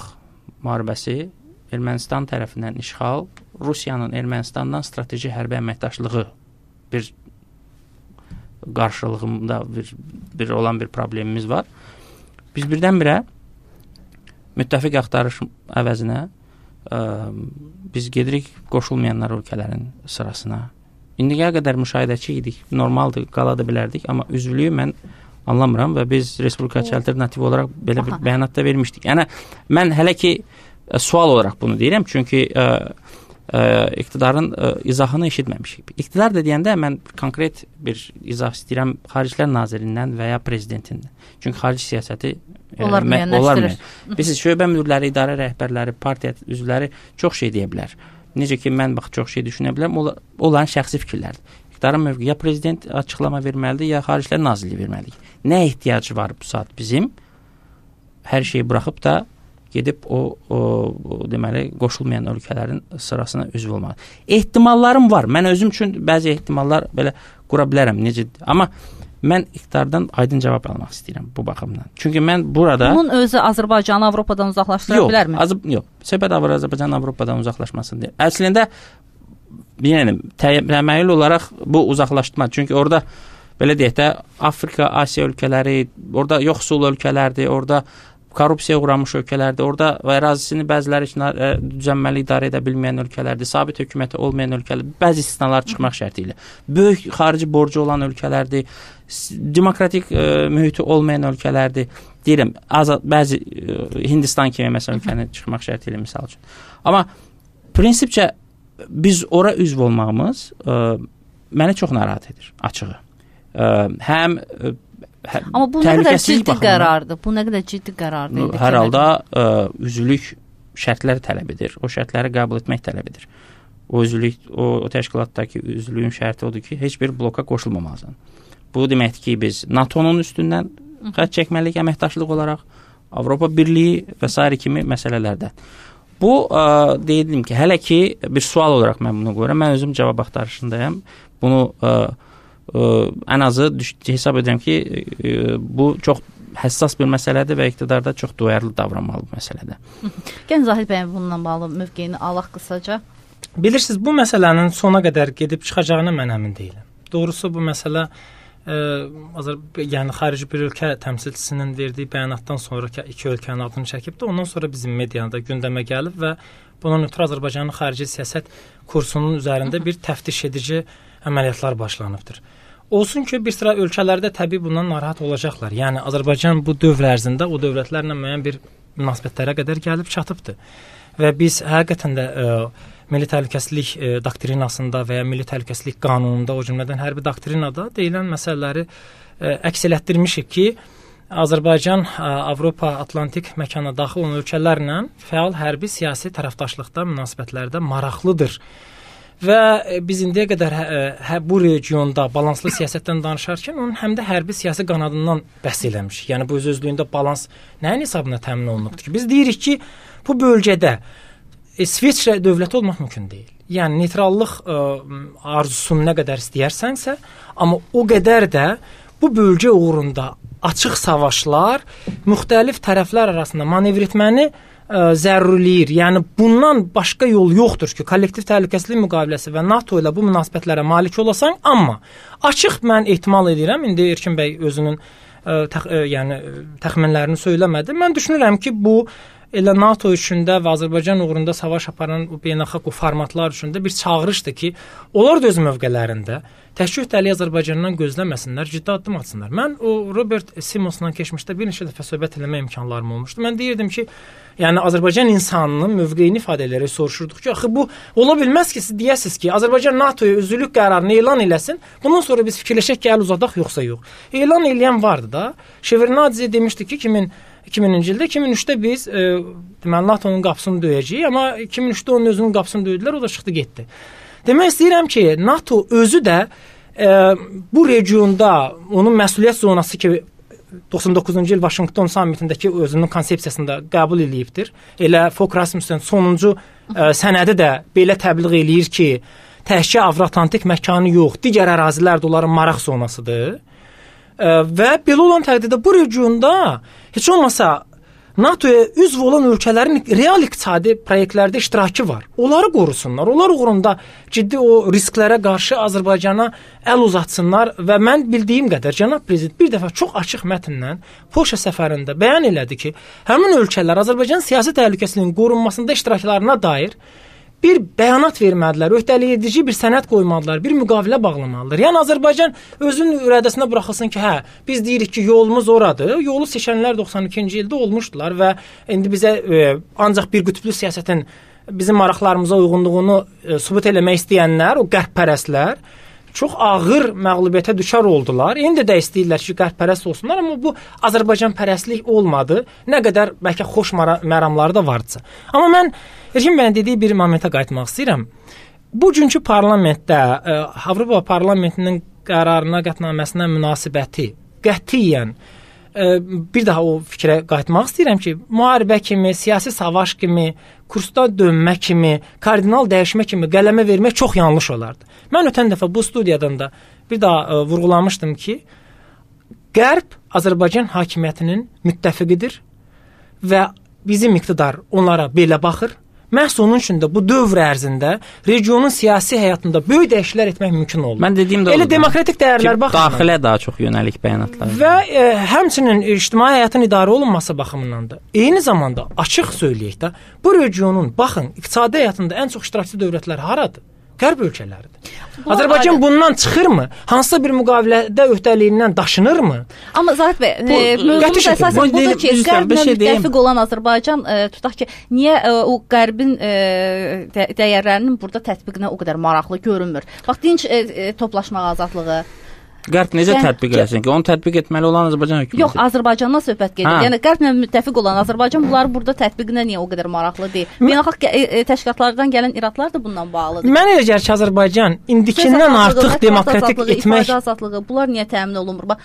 müharibəsi, Ermənistan tərəfindən işğal, Rusiyanın Ermənistandan strateji hərbi əməkdaşlığı bir qarşılığında bir olan bir problemimiz var. Biz birdən-birə müttəfiq axtarış əvəzinə biz gedirik qoşulmayanlar ölkələrin sırasına. İndiyə qədər müşahidəçi idik, normaldır, qala da bilərdik, amma üzvlüyü mən anlamıram və biz Respublikaçı Alternativ olaraq belə bir bəyanat da vermişdik. Yəni, mən hələ ki sual olaraq bunu deyirəm, çünki iqtidarın izahını eşitməmişik. İqtidar da deyəndə mən konkret bir izah istəyirəm Xaricilər Nazirindən və ya prezidentindən. Çünki xarici siyasəti onlar müəyyənləşdirir. Biz şöbə müdürləri, idarə rəhbərləri, partiya üzvləri çox şey deyə bilər. Necə ki, mən çox şey düşünə bilərəm, onların şəxsi fikirlərdir. İqtidarın mövqeyi ya prezident açıqlama verməlidir, ya Xaricilər Nazirliyi verməlidir. Nə ehtiyacı var bu saat bizim? Hər şeyi buraxıb da gedib o deməli qoşulmayan ölkələrin sırasına üzv olmalı. Ehtimallarım var. Mən özüm üçün bəzi ehtimallar belə qura bilərəm. Necə? Amma mən iqtidardan aydın cavab almaq istəyirəm bu baxımdan. Çünki mən burada bunun özü Azərbaycanı Avropadan uzaqlaşdıra bilərmi? Yox. Söhbət Azərbaycanın Avropadan uzaqlaşmasını deyil. Əslində yəni təməyyül olaraq bu uzaqlaşdırma. Çünki orada belə deyək də Afrika, Asiya ölkələri, orada yoxsul ölkələrdir, orada korrupsiyaya uğramış ölkələrdir, orada ərazisini bəziləri düzənməli idarə edə bilməyən ölkələrdir, sabit hökuməti olmayan ölkələrdir, bəzi istisnalar çıxmaq şərti ilə. Böyük xarici borcu olan ölkələrdir, demokratik mühiti olmayan ölkələrdir. Deyirəm, bəzi Hindistan kimi məsələn ölkəni çıxmaq şərti ilə misal üçün. Amma prinsipcə biz ora üzv olmağımız məni çox narahat edir, açığı. Həm amma bu nə qədər ciddi qərardır? Bu nə qədər ciddi qərardır? Hər halda üzvlük şərtləri tələb edir. O şərtləri qəbul etmək tələb edir. O üzvlük, o təşkilatdakı üzvlüyün şərti odur ki, heç bir bloka qoşulmamalısan. Bu deməkdir ki, biz NATO-nun üstündən xətt çəkməliyik əməkdaşlıq olaraq, Avropa Birliyi və s. kimi məsələlərdə. Bu, deyildim ki, hələ ki bir sual olaraq mən bunu qoyuram. Mən özüm cavab axtarışındayım. Bunu ən azı hesab edirəm ki, bu çox həssas bir məsələdir və iqtidarda çox duyarlı davranmalı bu məsələdə. Gəlin Zahid bəy bununla bağlı mövqeyini alaq qısaca. Bilirsiniz, bu məsələnin sona qədər gedib çıxacağına mən əmin deyiləm. Doğrusu bu məsələ yəni xarici bir ölkə təmsilçisinin verdiyi bəyanatdan sonra iki ölkənin adını çəkib də ondan sonra bizim mediada gündəmə gəlib və bunun ötürü Azərbaycanın xarici siyasət kursunun üzərində bir təftiş edici əməliyyatlar başlanıbdır. Olsun ki, bir sıra ölkələrdə təbii bundan narahat olacaqlar. Yəni Azərbaycan bu dövr ərzində o dövlətlərlə müəyyən bir münasibətlərə qədər gəlib çatıbdır. Və biz həqiqətən də milli təhlükəsizlik doktrinasında və ya milli təhlükəsizlik qanununda, o cümlədən hərbi doktrinada deyilən məsələləri əks elətdirmişik ki, Azərbaycan Avropa Atlantik məkana daxil olan ölkələrlə fəal hərbi siyasi tərəfdaşlıqda, münasibətlərdə maraqlıdır. Və biz indiyə qədər bu regionda balanslı siyasətdən danışarkən onun həm də hərbi siyasi qanadından bəhs eləmişik. Yəni bu öz-özlüyündə balans nəyin hesabına təmin olunubdur ki? Biz deyirik ki, bu bölgədə İsveçrə dövləti olmaq mümkün deyil. Yəni neytrallıq arzusunu nə qədər istəyirsənsə, amma o qədər də bu bölgə uğrunda açıq savaşlar müxtəlif tərəflər arasında manevr etməni zərurləyir. Yəni bundan başqa yol yoxdur ki, kollektiv təhlükəsizlik müqaviləsi və NATO ilə bu münasibətlərə malik olasan, amma açıq mən ehtimal edirəm, indi Erkin bəy özünün yəni təxminlərini söyləmədi. Mən düşünürəm ki, bu elə NATO üçündə və Azərbaycan uğrunda savaş aparan bu beynəlxalq formatlar üçündə bir çağırışdır ki, onlar da öz mövqelərində təşkil etdiyi Azərbaycandan gözləməsinlər, ciddi addım atsınlar. Mən o Robert Simonsla keçmişdə bir neçə dəfə söhbət eləmə imkanlarım olmuşdu. Mən deyirdim ki, yəni Azərbaycan insanının mövqeyini ifadə edərək soruşurduq ki, axı bu ola bilməz ki, siz deyəsiniz ki, Azərbaycan NATO-ya üzvlük qərarını elan eləsin, bundan sonra biz fikirləşək ki, əl uzadaq yoxsa yox. Elan eləyən vardı da. Şevardnadze demişdi ki, 2000-ci ildə, 2003-də biz deməli NATO-nun qapısını döyəcəyik, amma 2003-də onun özünün qapısını döydülər, o da çıxdı getdi. Demək istəyirəm ki, NATO özü də bu regionda onun məsuliyyət zonası ki 99-cu il Vaşinqton sammitindəki özünün konsepsiyasında qəbul eləyibdir. Elə Fogh Rasmussen sonuncu sənədi də belə təbliğ eləyir ki, təkcə Avro-Atlantik məkanı yox, digər ərazilər də onların maraq zonasıdır. Və belə olan təqdirdə bu regionda heç olmasa NATO-ya üzv olan ölkələrin real iqtisadi proyektlərdə iştirakı var. Onları qorusunlar. Onlar uğrunda ciddi o risklərə qarşı Azərbaycana əl uzatsınlar və mən bildiyim qədər cənab prezident bir dəfə çox açıq mətnlə Polşa səfərində bəyan elədi ki, həmin ölkələr Azərbaycan siyasi təhlükəsizliyinin qorunmasında iştiraklarına dair bir bəyanat vermədilər, öhdələyici bir sənəd qoymadılar, bir müqavilə bağlamalıdır. Yəni Azərbaycan özünün irədəsinə buraxılsın ki, biz deyirik ki, yolumuz oradır. Yolu seçənlər 92-ci ildə olmuşdular və indi bizə ancaq bir qütblü siyasətin bizim maraqlarımıza uyğunluğunu sübut eləmək istəyənlər, o qərbpərəstlər çox ağır məğlubiyyətə düşər oldular. İndi də istəyirlər ki, qərbpərəst olsunlar, amma bu Azərbaycanpərəstlik olmadı. Nə qədər bəlkə xoş məramları da vardısa. Amma mən Erkin bəyin dediyi bir momentə qayıtmaq istəyirəm. Bugünkü parlamentdə Avropa Parlamentinin qərarına, qətnaməsinə münasibəti qətiyyən bir daha o fikrə qayıtmaq istəyirəm ki, müharibə kimi, siyasi savaş kimi, kursda dönmə kimi, kardinal dəyişmə kimi qələmə vermək çox yanlış olardı. Mən ötən dəfə bu studiyadan da bir daha vurğulamışdım ki, Qərb Azərbaycan hakimiyyətinin müttəfiqidir və bizim iqtidar onlara belə baxır. Məhz onun üçün də bu dövr ərzində regionun siyasi həyatında böyük dəyişikliklər etmək mümkün olur. Mən dediyim də elə demokratik dəyərlər baxımından daxilə daha çox yönəlik bəyanatlar və həmçinin ictimai həyatın idarə olunması baxımından da eyni zamanda açıq söyləyək də bu regionun baxın iqtisadi həyatında ən çox iştirakçı dövlətlər haradır? Qərb ölkələridir. Azərbaycan bundan çıxırmı? Hansısa bir müqavilədə öhdəliyindən daşınırmı? Amma Zahid bəy, mövzumuz əsasən budur ki, Qərblə müttəfiq olan Azərbaycan tutaq ki, niyə o Qərbin dəyərlərinin burada tətbiqinə o qədər maraqlı görünmür? Bax, dinc toplaşmaq azadlığı. Qərb necə tətbiq eləsin ki? Onu tətbiq etməli olan Azərbaycan hökuməti. Yox, Azərbaycandan söhbət gedir. Yəni Qərblə müttəfiq olan Azərbaycan bunları burada tətbiqinə niyə o qədər maraqlı deyil? Beynəlxalq təşkilatlardan gələn iradlar da bundan bağlıdır. Mən elə gəlir ki, Azərbaycan indikindən artıq demokratik etmək ifadə azadlığı, bunlar niyə təmin olunmur? Bax,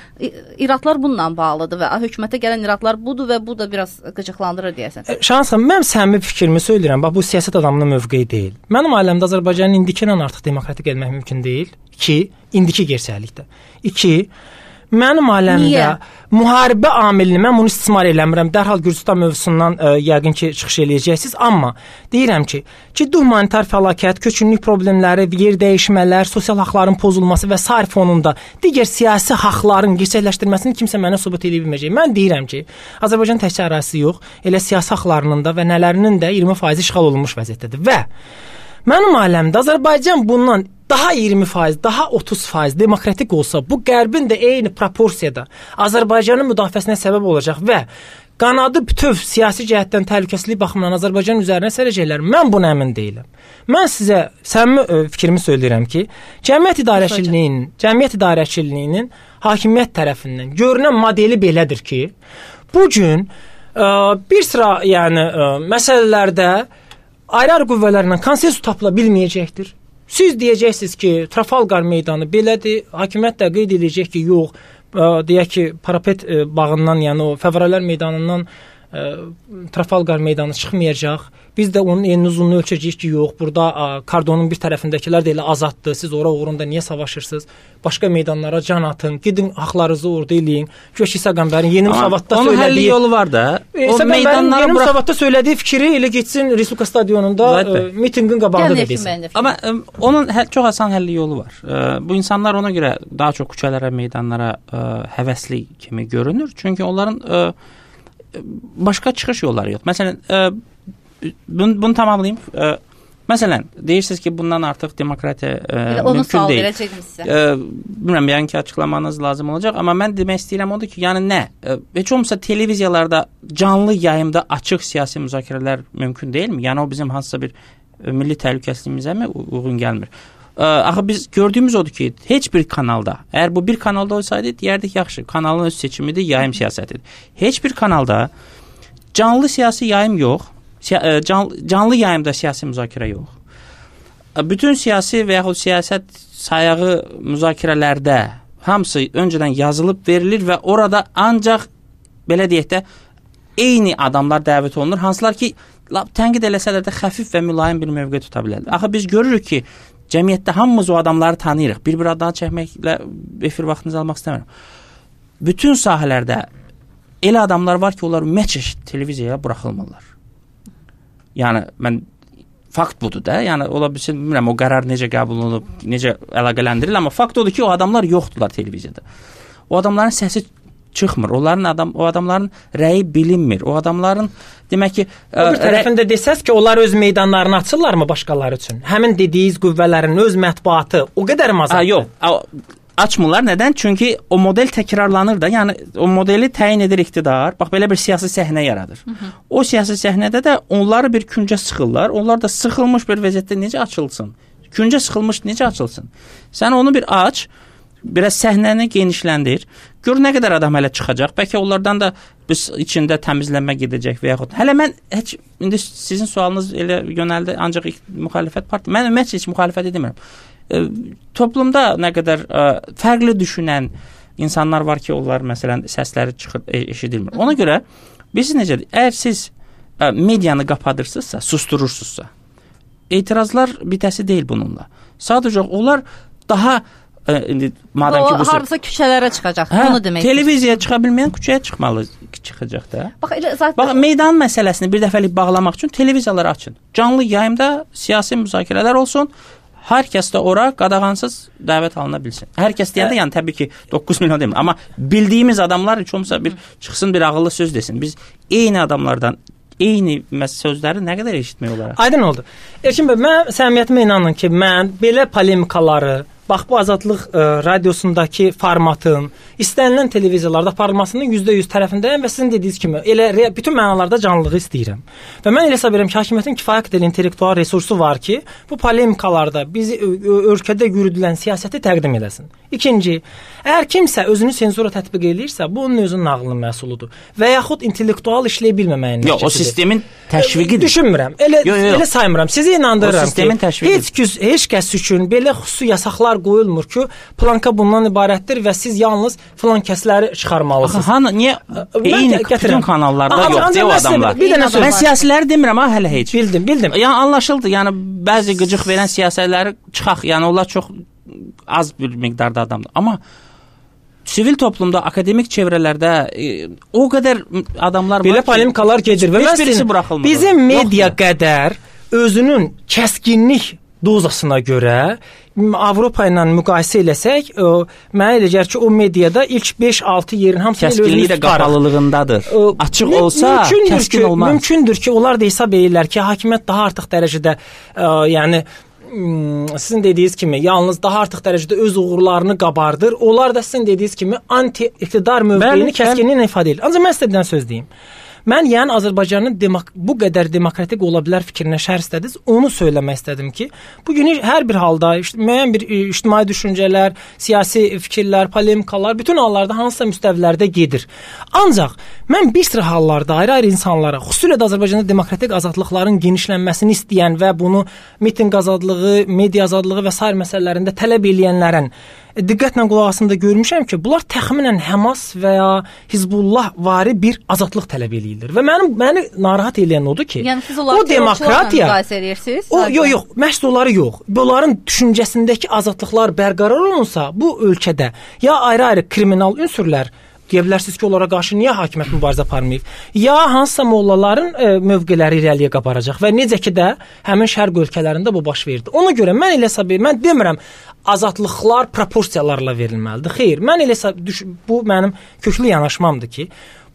iradlar bununla bağlıdır və hökumətə gələn iradlar budur və bu da biraz qıcıqlandırır deyəsən. Şansım, mən səmimi fikrimi söyləyirəm. Bax, bu siyasət adamının mövqeyi deyil. Mənim ailəmdə Azərbaycanın indikindən artıq demokratik etmək mümkün deyil. 2. İndiki gerçəklikdə. 2. Mənim ailəmdə müharibə amilini mən bunu istismar eləmirəm. Dərhal Gürcüstan mövzusundan yəqin ki, çıxış eləyəcəksiniz. Amma deyirəm ki, ciddi humanitar fəlakət, köçünlük problemləri, yer dəyişmələr, sosial haqların pozulması və sair fonunda digər siyasi haqların gerçəkləşdirməsini kimsə mənə sübut edə bilməyəcək. Mən deyirəm ki, Azərbaycan təkcə ərazisi yox, elə siyasi haqlarının da və nələrinin də 20% işğal olunmuş vəziyyətdədir. Və mənim ailəmdə Azərbaycan bundan daha 20%, daha 30% demokratik olsa, bu Qərbin də eyni proporsiyada Azərbaycanın müdafiəsinə səbəb olacaq və qanadı bütöv siyasi cəhətdən təhlükəsizlik baxımından Azərbaycan üzərinə sərəcəklər. Mən buna əmin deyiləm. Mən sizə səmimi fikrimi söyləyirəm ki, cəmiyyət idarəçiliyinin hakimiyyət tərəfindən görünən modeli belədir ki, bu gün bir sıra məsələlərdə ayrı-ayrı qüvvələrlə konsensus tapıla bilməyəcəkdir. Siz deyəcəksiniz ki, Trafalgar meydanı belədir, hakimiyyət də qeyd edəcək ki, yox, deyək ki, Parapet bağından, yəni o Fevralər meydanından Trafalgar meydanı çıxmayacaq. Biz də onun enini uzunluğunu ölçəcəyik ki, yox, burada kordonun bir tərəfindəkilər də elə azaddır. Siz ora uğrunda niyə savaşırsınız? Başqa meydanlara can atın, gidin haqlarınızı orada eləyin. Güya İsa Qəmbərin yeni müsavatda söylədiyi... Onun həlli yolu var da. İsa Qəmbərin yeni müsavatda söylədiyi fikri elə getsin Respublika stadionunda mitinqin qabağında da desin. Amma onun çox asan həlli yolu var. Bu insanlar ona görə daha çox küçələrə, meydanlara həvəsli kimi görünür. Çünki onların başqa çıxış yolları yox. Məsələn, bunu tamamlayayım. Məsələn, deyirsiniz ki, bundan artıq demokratiya mümkün deyil. Bilmirəm, yəni ki, açıqlamanız lazım olacaq. Amma mən demək istəyirəm odur ki, yəni nə? Heç olmasa televiziyalarda canlı yayımda açıq siyasi müzakirələr mümkün deyilmi? Yəni o bizim hansısa bir milli təhlükəsizliyimizə mi uyğun gəlmir? Axı biz gördüyümüz odur ki, heç bir kanalda, əgər bu bir kanalda olsaydı, deyərdik yaxşı, kanalın öz seçimidir, yayım siyasətidir. Heç bir kanalda canlı siyasi yayım yox, canlı yayımda siyasi müzakirə yox. Bütün siyasi və yaxud siyasət sayağı müzakirələrdə hamısı öncədən yazılıb verilir və orada ancaq, belə deyək də, eyni adamlar dəvət olunur, hansılar ki, tənqid eləsələr də xəfif və mülayim bir mövqe tuta bilərlər. Axı biz görürük ki, cəmiyyətdə hamımız o adamları tanıyırıq. Bir adını çəkməklə efir vaxtınızı almaq istəmirəm. Bütün sahələrdə elə adamlar var ki, onlar ümumiyyətlə televiziyaya buraxılmırlar. Yəni mən fakt budur da. Yəni ola bilsin, bilmirəm o qərar necə qəbul olunub, necə əlaqələndirilir, amma fakt odur ki, o adamlar yoxdular televiziyada. O adamların səsi çıxmır. O adamların rəyi bilinmir. O adamların demək ki, o bir tərəfində desəz ki, onlar öz meydanlarını açırlarmı başqaları üçün? Həmin dediyiniz qüvvələrin öz mətbuatı o qədər azaddır. Yox. Açmırlar. Nədən? Çünki o model təkrarlanır da. Yəni o modeli təyin edir iqtidar. Bax belə bir siyasi səhnə yaradır. O siyasi səhnədə də onları bir küncə sıxırlar. Onlar da sıxılmış bir vəziyyətdə necə açılsın? Küncə sıxılmış necə açılsın? Sən onu bir aç, biraz səhnəni genişləndir. Gör nə qədər adam hələ çıxacaq. Bəlkə onlardan da biz içində təmizlənmə gedəcək və yaxud. Hələ mən heç indi sizin sualınız elə yönəldi ancaq müxalifət partiyası. Mən ümumiyyətlə heç müxalifət edmirəm. Toplumda nə qədər fərqli düşünən insanlar var ki, onlar məsələn səsləri çıxır, eşidilmir. Ona görə biz necədir? Əgər siz medianı qapadırsınızsa, susturursunuzsa, etirazlar bitəsi deyil bununla. Sadəcə onlar daha madəm ki bu hardasa küçələrə çıxacaq. Bunu demək. Televiziyaya çıxa bilməyən küçəyə çıxacaq da. Bax, meydan məsələsini bir dəfəlik bağlamaq üçün televiziyaları açın. Canlı yayımda siyasi müzakirələr olsun. Hər kəs də ora qadağansız dəvət alına bilsin. Hər kəs deyəndə yəni təbii ki 9 milyon demir, amma bildiyimiz adamlar heç olmasa bir çıxsın, bir ağıllı söz desin. Biz eyni adamlardan eyni sözləri nə qədər eşitmək olar? Aydın oldu. Elkin bəy, mən səmimiyyətimə inanın ki, mən belə polemikaları, bax bu Azadlıq radiosundakı formatın istənilən televiziyalarda aparılmasının %100 tərəfindəyəm və sizin dediyiniz kimi elə bütün mənalarda canlılığı istəyirəm. Və mən elə hesab edirəm ki, hakimiyyətin kifayət qədər intellektual resursu var ki, bu polemikalarda bizi ölkədə yürüdülən siyasəti təqdim eləsin. İkinci, əgər kimsə özünü senzura tətbiq eləyirsə, bu onun özünün nağılının məhsuludur və yaxud intellektual işləyə bilməməyin nəticəsidir. Yox, o sistemin təşviqidir. Düşünmürəm. Elə saymıram. Sizi inandırıram ki, heç kəs üçün belə xüsusi yasaqlar qoyulmur ki, planka bundan ibarətdir və siz yalnız filan kəsləri çıxarmalısınız. Niyə eyni bütün kanallarda yoxdur o adamlar? Mən siyasiləri demirəm, hələ heç. Bildim. Yəni anlaşıldı. Yəni bəzi qıcıq verən siyasətləri çıxaq. Yəni onlar çox az bir miqdarda adamdır. Amma sivil toplumda, akademik çevrələrdə o qədər adamlar belə polemikalar gedir və bizim media qədər özünün kəskinlik dozasına görə Avropa ilə müqayisə eləsək, mənə elə gəlir ki, o mediada ilk 5-6 yerin hamısı kəskinliyi də qapalılığındadır. Açıq olsa kəskin olmaz. Mümkündür ki, onlar da hesab edirlər ki, hakimiyyət daha artıq dərəcədə yəni sizin dediyiniz kimi yalnız daha artıq dərəcədə öz uğurlarını qabardır. Onlar da sizin dediyiniz kimi anti-iqtidar mövqeyini kəskinliklə ifadə edir. Ancaq mən sizə bir söz deyim. Mən yəni Azərbaycanın bu qədər demokratik ola bilər fikrinə şərh istədiniz. Onu söyləmək istədim ki, bu gün hər bir halda müəyyən bir ictimai düşüncələr, siyasi fikirlər, polemikalar bütün hallarda hansısa müstəvilərdə gedir. Ancaq mən bir sıra hallarda ayrı-ayrı insanlara, xüsusilə də Azərbaycanda demokratik azadlıqların genişlənməsini istəyən və bunu mitinq azadlığı, media azadlığı və sair məsələlərində tələb edənlərin diqqətlə qulaq asında görmüşəm ki, bunlar təxminən Həmas və ya Hizbullah vari bir azadlıq tələb eləyirlər. Və məni narahat edən odur ki, yəni siz onları terrorçularla müqayisə edirsiniz? Yox, məhz onları yox. Bunların düşüncəsindəki azadlıqlar bərqərar olunsa, bu ölkədə ya ayrı-ayrı kriminal ünsürlər deyə bilərsiniz ki, onlara qarşı niyə hakimiyyət mübarizə aparmayıb? Ya hansısa mollaların mövqeləri irəliyə qabaracaq və necə ki də həmin şərq ölkələrində bu baş verdi. Ona görə mən elə hesab edirəm, mən demirəm azadlıqlar proporsiyalarla verilməlidir. Xeyr, mən elə bu mənim köklü yanaşmamdır ki,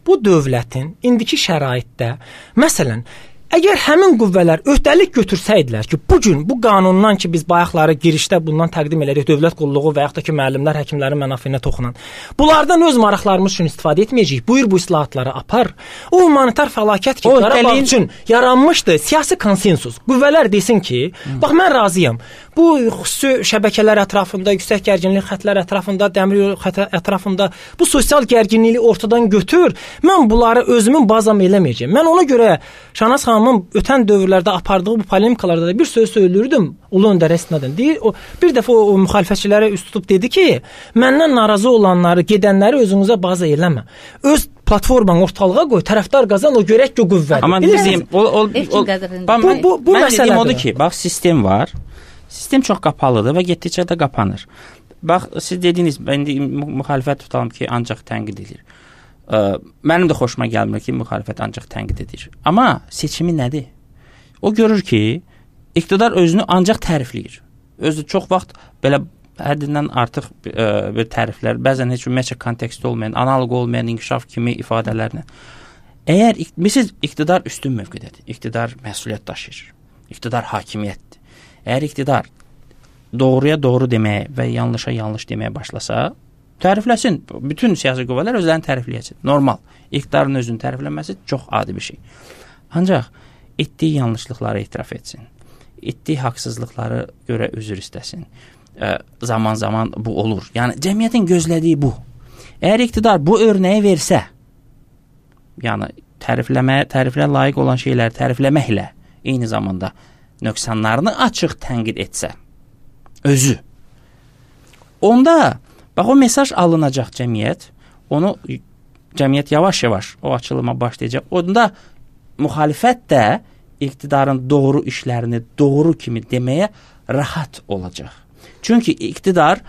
bu dövlətin indiki şəraitdə məsələn əgər həmin qüvvələr öhdəlik götürsəydilər ki, bugün bu qanundan ki, biz bayaqları girişdə bundan təqdim elədik, dövlət qulluğu və yaxud da ki, müəllimlər, həkimlərin mənafeyinə toxunan, bunlardan öz maraqlarımız üçün istifadə etməyəcəyik. Buyur bu islahatları apar. O humanitar fəlakət ki, Qarabağ üçün yaranmışdı, siyasi konsensus. Qüvvələr desin ki, bax mən razıyam. Bu xüsusi şəbəkələr ətrafında, yüksək gərginlik xətlər ətrafında, dəmir yolu xətti ətrafında bu sosial gərginliyi ortadan götür. Mən bunları özümün bazam eləməyəcəm. Mən ona görə Şahnaz xanımın ötən dövrlərdə apardığı bu polemikalarda da bir söz söylürdüm. Ulu öndər əsnadən deyir. Bir dəfə o müxalifətçilərə üst tutub dedi ki, məndən narazı olanları, gedənləri özünüzə baza eləmə. Öz platformanı ortalığa qoy, tərəfdar qazan, o görək ki, o qüvvədir. Amma bizim bu məsələ odur ki, bax sistem var. Sistem çox qapalıdır və getdikcə də qapanır. Bax, siz dediniz, indi müxalifət tutalım ki, ancaq tənqid edir. Mənim də xoşuma gəlmir ki, müxalifət ancaq tənqid edir. Amma seçimi nədir? O görür ki, iqtidar özünü ancaq tərifləyir. Özü çox vaxt belə həddindən artıq bir təriflər, bəzən heç ümumiyyətlə konteksti olmayan, analoq olmayan inkişaf kimi ifadələrlə. Əgər misal iqtidar üstün mövqedədir, iqtidar məsuliyyət daşıyır, iqtidar hakimiyyətdir. Əgər iqtidar doğruya doğru deməyə və yanlışa yanlış deməyə başlasa, tərifləsin. Bütün siyasi qüvvələr özlərini tərifləyəcək. Normal. İqtidarın özünün təriflənməsi çox adi bir şey. Ancaq etdiyi yanlışlıqları etiraf etsin. Etdiyi haqsızlıqları görə üzr istəsin. Zaman-zaman bu olur. Yəni cəmiyyətin gözlədiyi bu. Əgər iqtidar bu örnəyi versə, yəni təriflə layiq olan şeyləri tərifləməklə eyni zamanda nöqsanlarını açıq tənqid etsə, özü. Onda bax o mesaj alınacaq cəmiyyət, cəmiyyət yavaş-yavaş o açılıma başlayacaq. Onda müxalifət də iqtidarın doğru işlərini doğru kimi deməyə rahat olacaq. Çünki iqtidar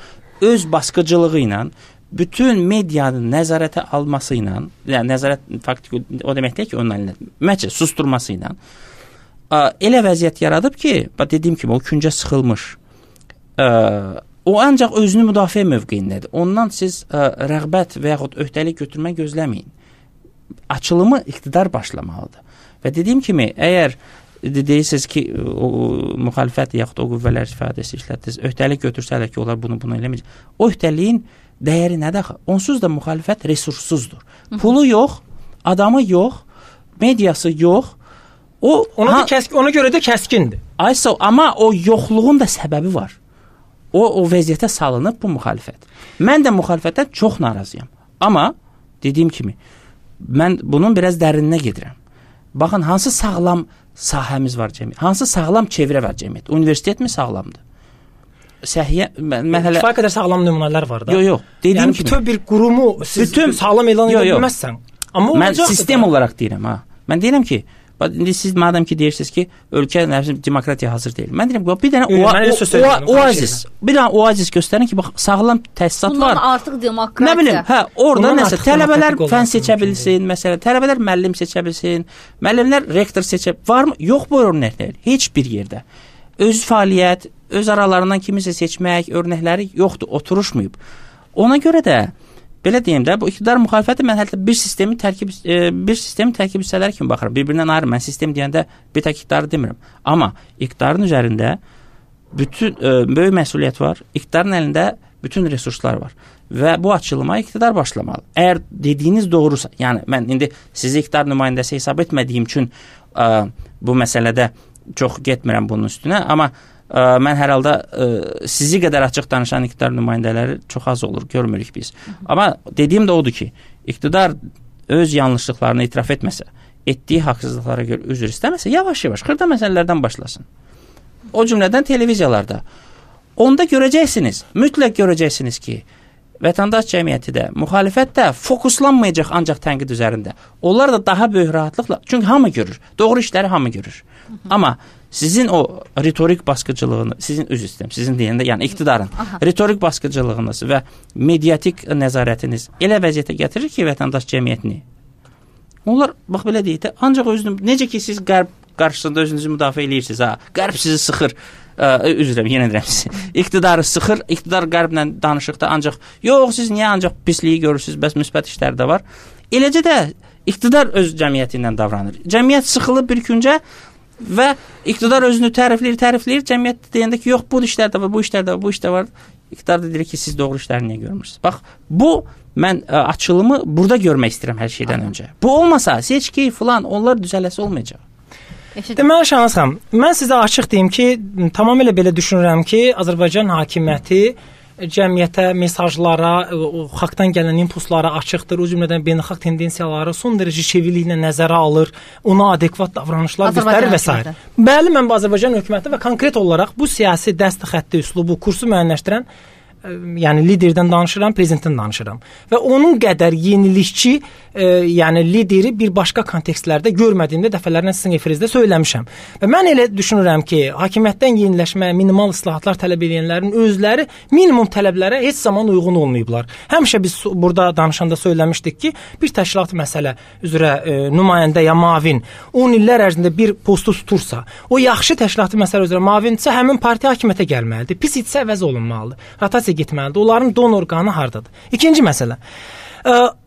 öz basqıcılığı ilə, bütün medianın nəzarətə alması ilə, yəni nəzarət faktiki o deməkdir ki, onun əlinə ümumiyyətcə susturması ilə elə vəziyyət yaradıb ki, dediyim kimi o küncə sıxılmış, o ancaq özünü müdafiə mövqeyindədir. Ondan siz rəğbət və yaxud öhdəlik götürmək gözləməyin. Açılımı iqtidar başlamalıdır. Və dediyim kimi, əgər deyirsiniz ki, o müxalifət yaxud o qüvvələr ifadəsi işlətdiniz, öhdəlik götürsələr ki, onlar bunu eləməyəcək. O öhdəliyin dəyəri nədir? Onsuz da müxalifət resurssuzdur. Pulu yox, adamı yox, mediası yox. Ona görə də kəskindir. Amma o yoxluğun da səbəbi var. O vəziyyətə salınıb bu müxalifət. Mən də müxalifətdən çox narazıyam. Amma dediyim kimi, mən bunun biraz dərininə gedirəm. Baxın, hansı sağlam sahəmiz var cəmiyyət? Hansı sağlam çevrə var cəmiyyət? Universitet mi sağlamdır? Kifayət qədər sağlam nümunələr var da. Yox. Dediyim kimi, bütün bir qurumu sağlam elan edə bilməzsən. Amma mən sistem olaraq deyirəm. Mən deyirəm ki, indi siz madəm ki deyirsiniz ki, ölkə demokratiya hazır deyil. Mən deyirəm ki, bir dənə oazis göstərin ki, bax, sağlam təsisat var. Bundan artıq demokratiya. Nə bilim, orada nəsə, tələbələr fən seçə bilsin, məsələn, tələbələr müəllim seçə bilsin, müəllimlər rektor seçə, varmı? Yox bu örnəklər, heç bir yerdə. Öz fəaliyyət, öz aralarından kimisə seçmək örnəkləri yoxdur, oturuşmayıb. Ona görə də belə deyim də, bu iqtidar müxalifəti mən hətta bir sistemin tərkib hissələri kimi baxıram. Bir-birindən ayrı. Mən sistem deyəndə bir tək iqtidarı demirəm. Amma iqtidarın üzərində böyük məsuliyyət var. İqtidarın əlində bütün resurslar var. Və bu açılıma iqtidar başlamalı. Əgər dediyiniz doğrusa, yəni mən indi sizi iqtidar nümayəndəsi hesab etmədiyim üçün bu məsələdə çox getmirəm bunun üstünə, amma mən hər halda sizi qədər açıq danışan iqtidar nümayəndələri çox az olur, görmürük biz. Amma dediyim də odur ki, iqtidar öz yanlışlıqlarını etiraf etməsə, etdiyi haqsızlıqlara görə üzr istəməsə, yavaş-yavaş xırda məsələlərdən başlasın. O cümlədən televiziyalarda. Onda görəcəksiniz, mütləq görəcəksiniz ki, vətəndaş cəmiyyəti də, müxalifət də fokuslanmayacaq ancaq tənqid üzərində. Onlar da daha böyük rahatlıqla, çünki hamı görür, doğru işləri hamı görür. Amma sizin o retorik basqıcılığını, sizin deyəndə, yəni iqtidarın retorik basqıcılığınız və mediatik nəzarətiniz elə vəziyyətə gətirir ki, vətəndaş cəmiyyətini. Onlar, bax belə deyək də, ancaq özünü, necə ki siz qərb qarşısında özünüzü müdafiə edirsiniz, qərb sizi sıxır, yenə deyirəm sizi, iqtidarı sıxır, iqtidar qərblə danışıqda ancaq, yox, siz niyə ancaq pisliyi görürsünüz, bəs müsbət işlər də var. Eləcə də iqtidar öz cəmiyyəti ilə davranır. Cəmiyyət sıxılıb bir küncə və iqtidar özünü tərifləyir, cəmiyyət deyəndə ki, yox, bu işlər də var, bu işlər var. İqtidar da deyir ki, siz doğru işləri niyə görmürsünüz? Bax, bu, mən açılımı burada görmək istəyirəm hər şeydən öncə. Bu olmasa, seçki filan, onlar düzələsi olmayacaq. Deməli, Şahanız xanım, mən sizə açıq deyim ki, tamamilə belə düşünürəm ki, Azərbaycan hakimiyyəti cəmiyyətə, mesajlara, xalqdan gələn impulslara açıqdır, o cümlədən beynəlxalq tendensiyaları son dərəcə çevikliklə nəzərə alır, ona adekvat davranışlar göstərir və s. Bəli, mən Azərbaycan hökuməti və konkret olaraq bu siyasi dəst xətti üslubu, kursu müəyyənləşdirən yəni liderdən danışıram, prezidentdən danışıram. Və onun qədər yenilikçi, yəni lideri bir başqa kontekstlərdə görmədiyimdə dəfələrlə sizin efirinizdə söyləmişəm. Və mən elə düşünürəm ki, hakimiyyətdən yeniləşmə, minimal islahatlar tələb edənlərin özləri minimum tələblərə heç zaman uyğun olmayıblar. Həmişə biz burada danışanda söyləmişdik ki, bir təşkilat məsələ üzrə nümayəndə ya mavin 10 illər ərzində bir postu tutursa, o yaxşı təşkilatı məsələ üzrə mavindirsə, həmin partiya hakimiyyətə gəlməlidir. Pis idisə əvəz olunmalıdır. Rotasiya getməlidir. Onların donor qanı hardadır? İkinci məsələ.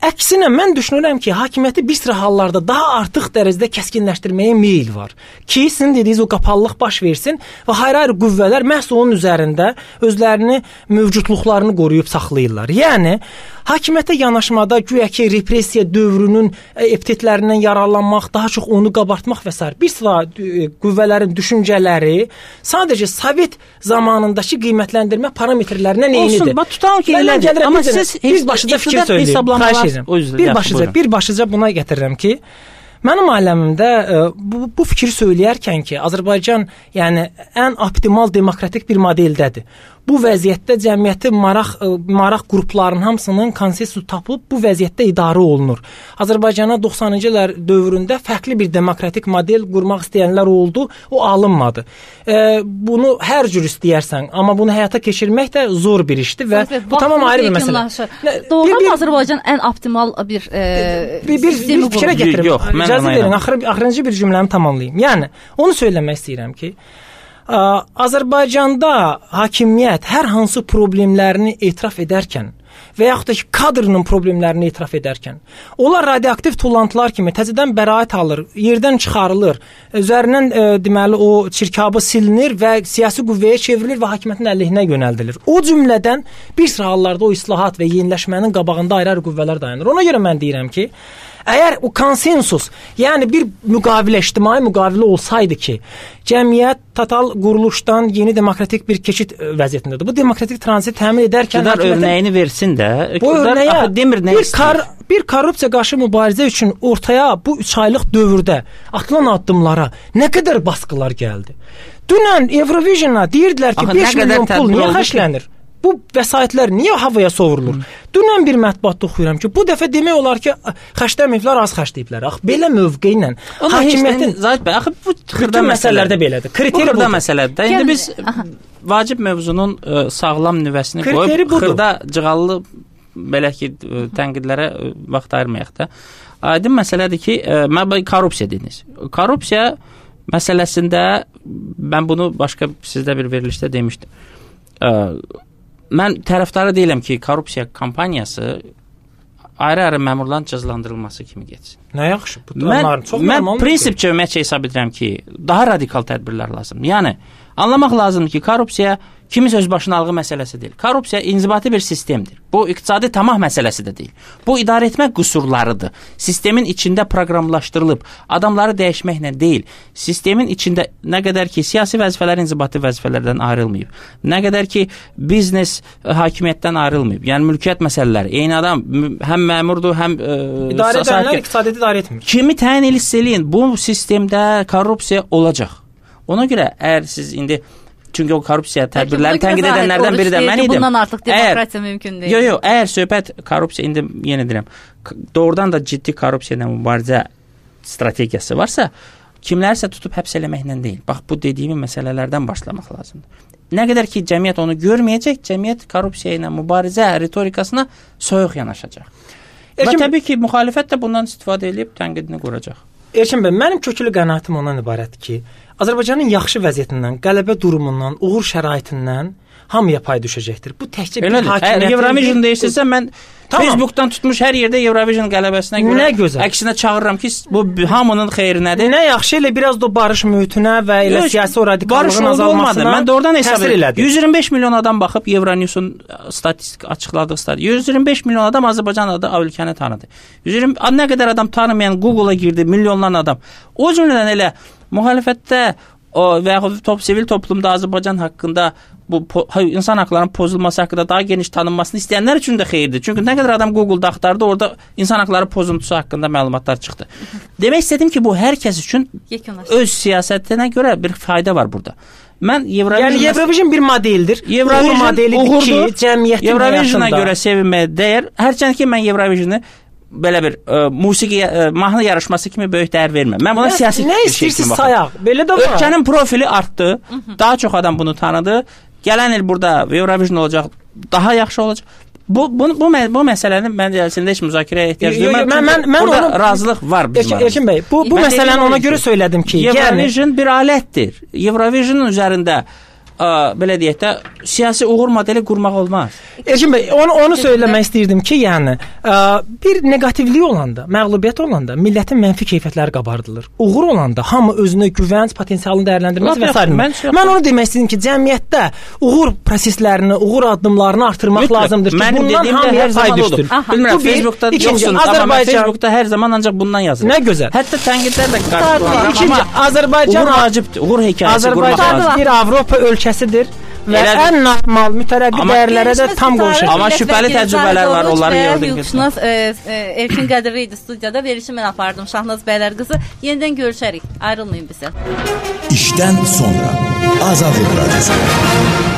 Əksinə mən düşünürəm ki, hakimiyyəti bir sıra hallarda daha artıq dərəcədə kəskinləşdirməyə meyil var. Ki, sizin dediyiniz o qapalılıq baş versin və ayrı-ayrı qüvvələr məhz onun üzərində özlərini, mövcudluqlarını qoruyub saxlayırlar. Yəni, hakimiyyətə yanaşmada güya ki, repressiya dövrünün epitetlərindən yararlanmaq, daha çox onu qabartmaq və s. bir sıra qüvvələrin düşüncələri sadəcə Sovet zamanındakı qiymətləndirmə parametrlərindən eynidir. Olsun, tutalım ki, elədir. Amma siz bir başlıca fikir söyləyim. Bir başlıca buna gətirirəm ki, mənim aləmimdə bu fikri söyləyərkən ki, Azərbaycan yəni ən optimal demokratik bir modeldədir. Bu vəziyyətdə cəmiyyəti maraq qruplarının hamısının konsensus tapıb bu vəziyyətdə idarə olunur. Azərbaycana 90-cı illər dövründə fərqli bir demokratik model qurmaq istəyənlər oldu, o alınmadı. Bunu hər cür istəyərsən, amma bunu həyata keçirmək də zor bir işdir və bu tamam ayrı bir məsələ. Doğrudan Azərbaycan ən optimal bir sistemi fikrə gətirim. İcazə verin, axırıncı bir cümləmi tamamlayım. Yəni, onu söyləmək istəyirəm ki, Azərbaycanda hakimiyyət hər hansı problemlərini etiraf edərkən və yaxud da ki, kadrının problemlərini etiraf edərkən, onlar radioaktiv tullantılar kimi təzədən bəraət alır, yerdən çıxarılır, üzərindən deməli o çirkabı silinir və siyasi qüvvəyə çevrilir və hakimiyyətin əleyhinə yönəldilir. O cümlədən bir sıra hallarda o islahat və yeniləşmənin qabağında ayrı-ayrı qüvvələr dayanır. Ona görə mən deyirəm ki, əgər o konsensus, yəni bir müqavilə, ictimai müqavilə olsaydı ki, cəmiyyət total quruluşdan yeni demokratik bir keçid vəziyyətindədir. Bu demokratik tranzit təmin edərkən örnəyini versin də. Bu örnəyə bir korrupsiya qarşı mübarizə üçün ortaya bu 3 aylıq dövrdə atılan addımlara nə qədər baskılar gəldi. Dünən Eurovision'a deyirdilər ki, 5 milyon pul niyə xərclənir? Bu vəsaitlər niyə havaya sovurulur? Dünən bir mətbuatda oxuyuram ki, bu dəfə demək olar ki, xərcləməyiblər, az xərcləyiblər. Belə mövqe ilə hakimiyyətin axı bu xırda məsələlərdə belədir. Kriteri budur. Məsələdir. İndi biz vacib mövzunun sağlam nüvəsini qoyub xırda cığallı belə ki, tənqidlərə vaxt ayırmayaq da. Aydın məsələdir ki, korrupsiya dediniz. Korrupsiya məsələsində mən bunu başqa sizdə bir verilişdə demişdim. Mən tərəfdarı deyiləm ki, korrupsiya kampaniyası ayrı-ayrı məmurların cəzalandırılması kimi getsin. Nə yaxşı. Mən prinsipcə ümumiyyətcə hesab edirəm ki, daha radikal tədbirlər lazımdır. Yəni, anlamaq lazımdır ki, korrupsiya kimisə özbaşınalığı məsələsi deyil. Korrupsiya inzibati bir sistemdir. Bu iqtisadi tamah məsələsi də deyil. Bu idarə etmə qüsurlarıdır. Sistemin içində proqramlaşdırılıb, adamları dəyişməklə deyil. Sistemin içində nə qədər ki, siyasi vəzifələr inzibati vəzifələrdən ayrılmayıb, nə qədər ki, biznes hakimiyyətdən ayrılmayıb. Yəni, mülkiyyət məsələləri. Eyni adam həm məmurdur, həm idarə edənlər iqtisadi idarə etmir. Kimi təyin eləyin, bu sistemdə korrupsiya olacaq. Ona görə əgər siz indi çünki o korrupsiya tədbirlərini tənqid edənlərdən biri də mən idim. Bundan artıq demokratiya mümkün deyil. Yox, əgər söhbət korrupsiya, indi yenə deyirəm, doğrudan da ciddi korrupsiya ilə mübarizə strategiyası varsa, kimlərsə tutub həbs eləməklə deyil. Bax, bu dediyim məsələlərdən başlamaq lazımdır. Nə qədər ki, cəmiyyət onu görməyəcək, cəmiyyət korrupsiya ilə mübarizə ritorikasına soyuq yanaşacaq. Və təbii ki, müxalifət də bundan istifadə edib tənqidini quracaq. Erkin bəy, mənim köklü qənaətim ondan ibarətdir ki, Azərbaycanın yaxşı vəziyyətindən, qələbə durumundan, uğur şəraitindən hamıya pay düşəcəkdir. Bu təkcə bir hakimiyyətin... Eurovision deyirsinizsə, mən Facebookdan tutmuş hər yerdə Eurovision qələbəsinə görə əksinə çağırıram ki, bu hamının xeyrinədir. Nə yaxşı, elə biraz da barış mühitinə və elə siyasi o radikallığın azalmasına mən doğrudan hesab edirəm. 125 milyon adam baxıb Euronews'un statistik açıqladığı statistik. 125 milyon adam Azərbaycan adı ölkəni tanıdı. Nə qədər adam tanımayan Google'a girdi, milyonlarla adam. O cümlədən elə müxalifətdə və yaxud sivil toplumda Azərbaycan haqqında bu insan haqlarının pozulması haqqında daha geniş tanınmasını istəyənlər üçün də xeyirdir. Çünki nə qədər adam Google-da axtardı, orada insan haqları pozuntusu haqqında məlumatlar çıxdı. Demək istədim ki, bu hər kəs üçün öz siyasətinə görə bir fayda var burada. Mən Yəni Eurovision bir modeldir. Uğur modelidir ki, cəmiyyətin Eurovisiona həyatında görə sevinməyə dəyər. Hərçənd ki, mən Eurovisionu belə bir musiqi mahnı yarışması kimi böyük dəyər vermirəm. Mən buna siyasi nə istəyirsiniz sayaq. Belə də var. Ölkənin profili artdı. Daha çox adam bunu tanıdı. Gələn il burada Eurovision olacaq, daha yaxşı olacaq. Bu məsələnin məncə əslində heç müzakirəyə ehtiyac yoxdur. Burada razılıq var bizim aramızda. Erkin bəy, bu məsələni ona görə söylədim ki, Eurovision bir alətdir. Eurovisionun üzərində belə deyək də siyasi uğur modeli qurmaq olmaz. Erkin bəy, onu söyləmək istəyirdim ki, yəni bir neqativlik olanda, məğlubiyyət olanda millətin mənfi keyfiyyətləri qabardılır. Uğur olanda hamı özünə güvənc, potensialını dəyərləndirməsi və s. Mən onu demək istəyirdim ki, cəmiyyətdə uğur proseslərini, uğur addımlarını artırmaq lazımdır ki, bundan hamıya pay düşsün. Bilmirəm, Facebookda yoxsunuz, amma mən Facebookda hər zaman ancaq bundan yazıram. Nə gözəl. Hətta tənqidlər də qarşılanır. İkinci, Azərbaycan uğur vacibdir, uğur hekayəsi qurmaq lazımdır. bir Avropa ölkəsidir və ən normal, mütərəqqi dəyərlərə də tam qovuşur. Amma şübhəli təcrübələr var, onları gördük. Hüquqşünas Erkin Qədirli idi studiyada, verilişi mən apardım. Şahnaz bəylər qızı. Yenidən görüşərik. Ayrılmayın bizə. İşdən sonra Azad Radiosu.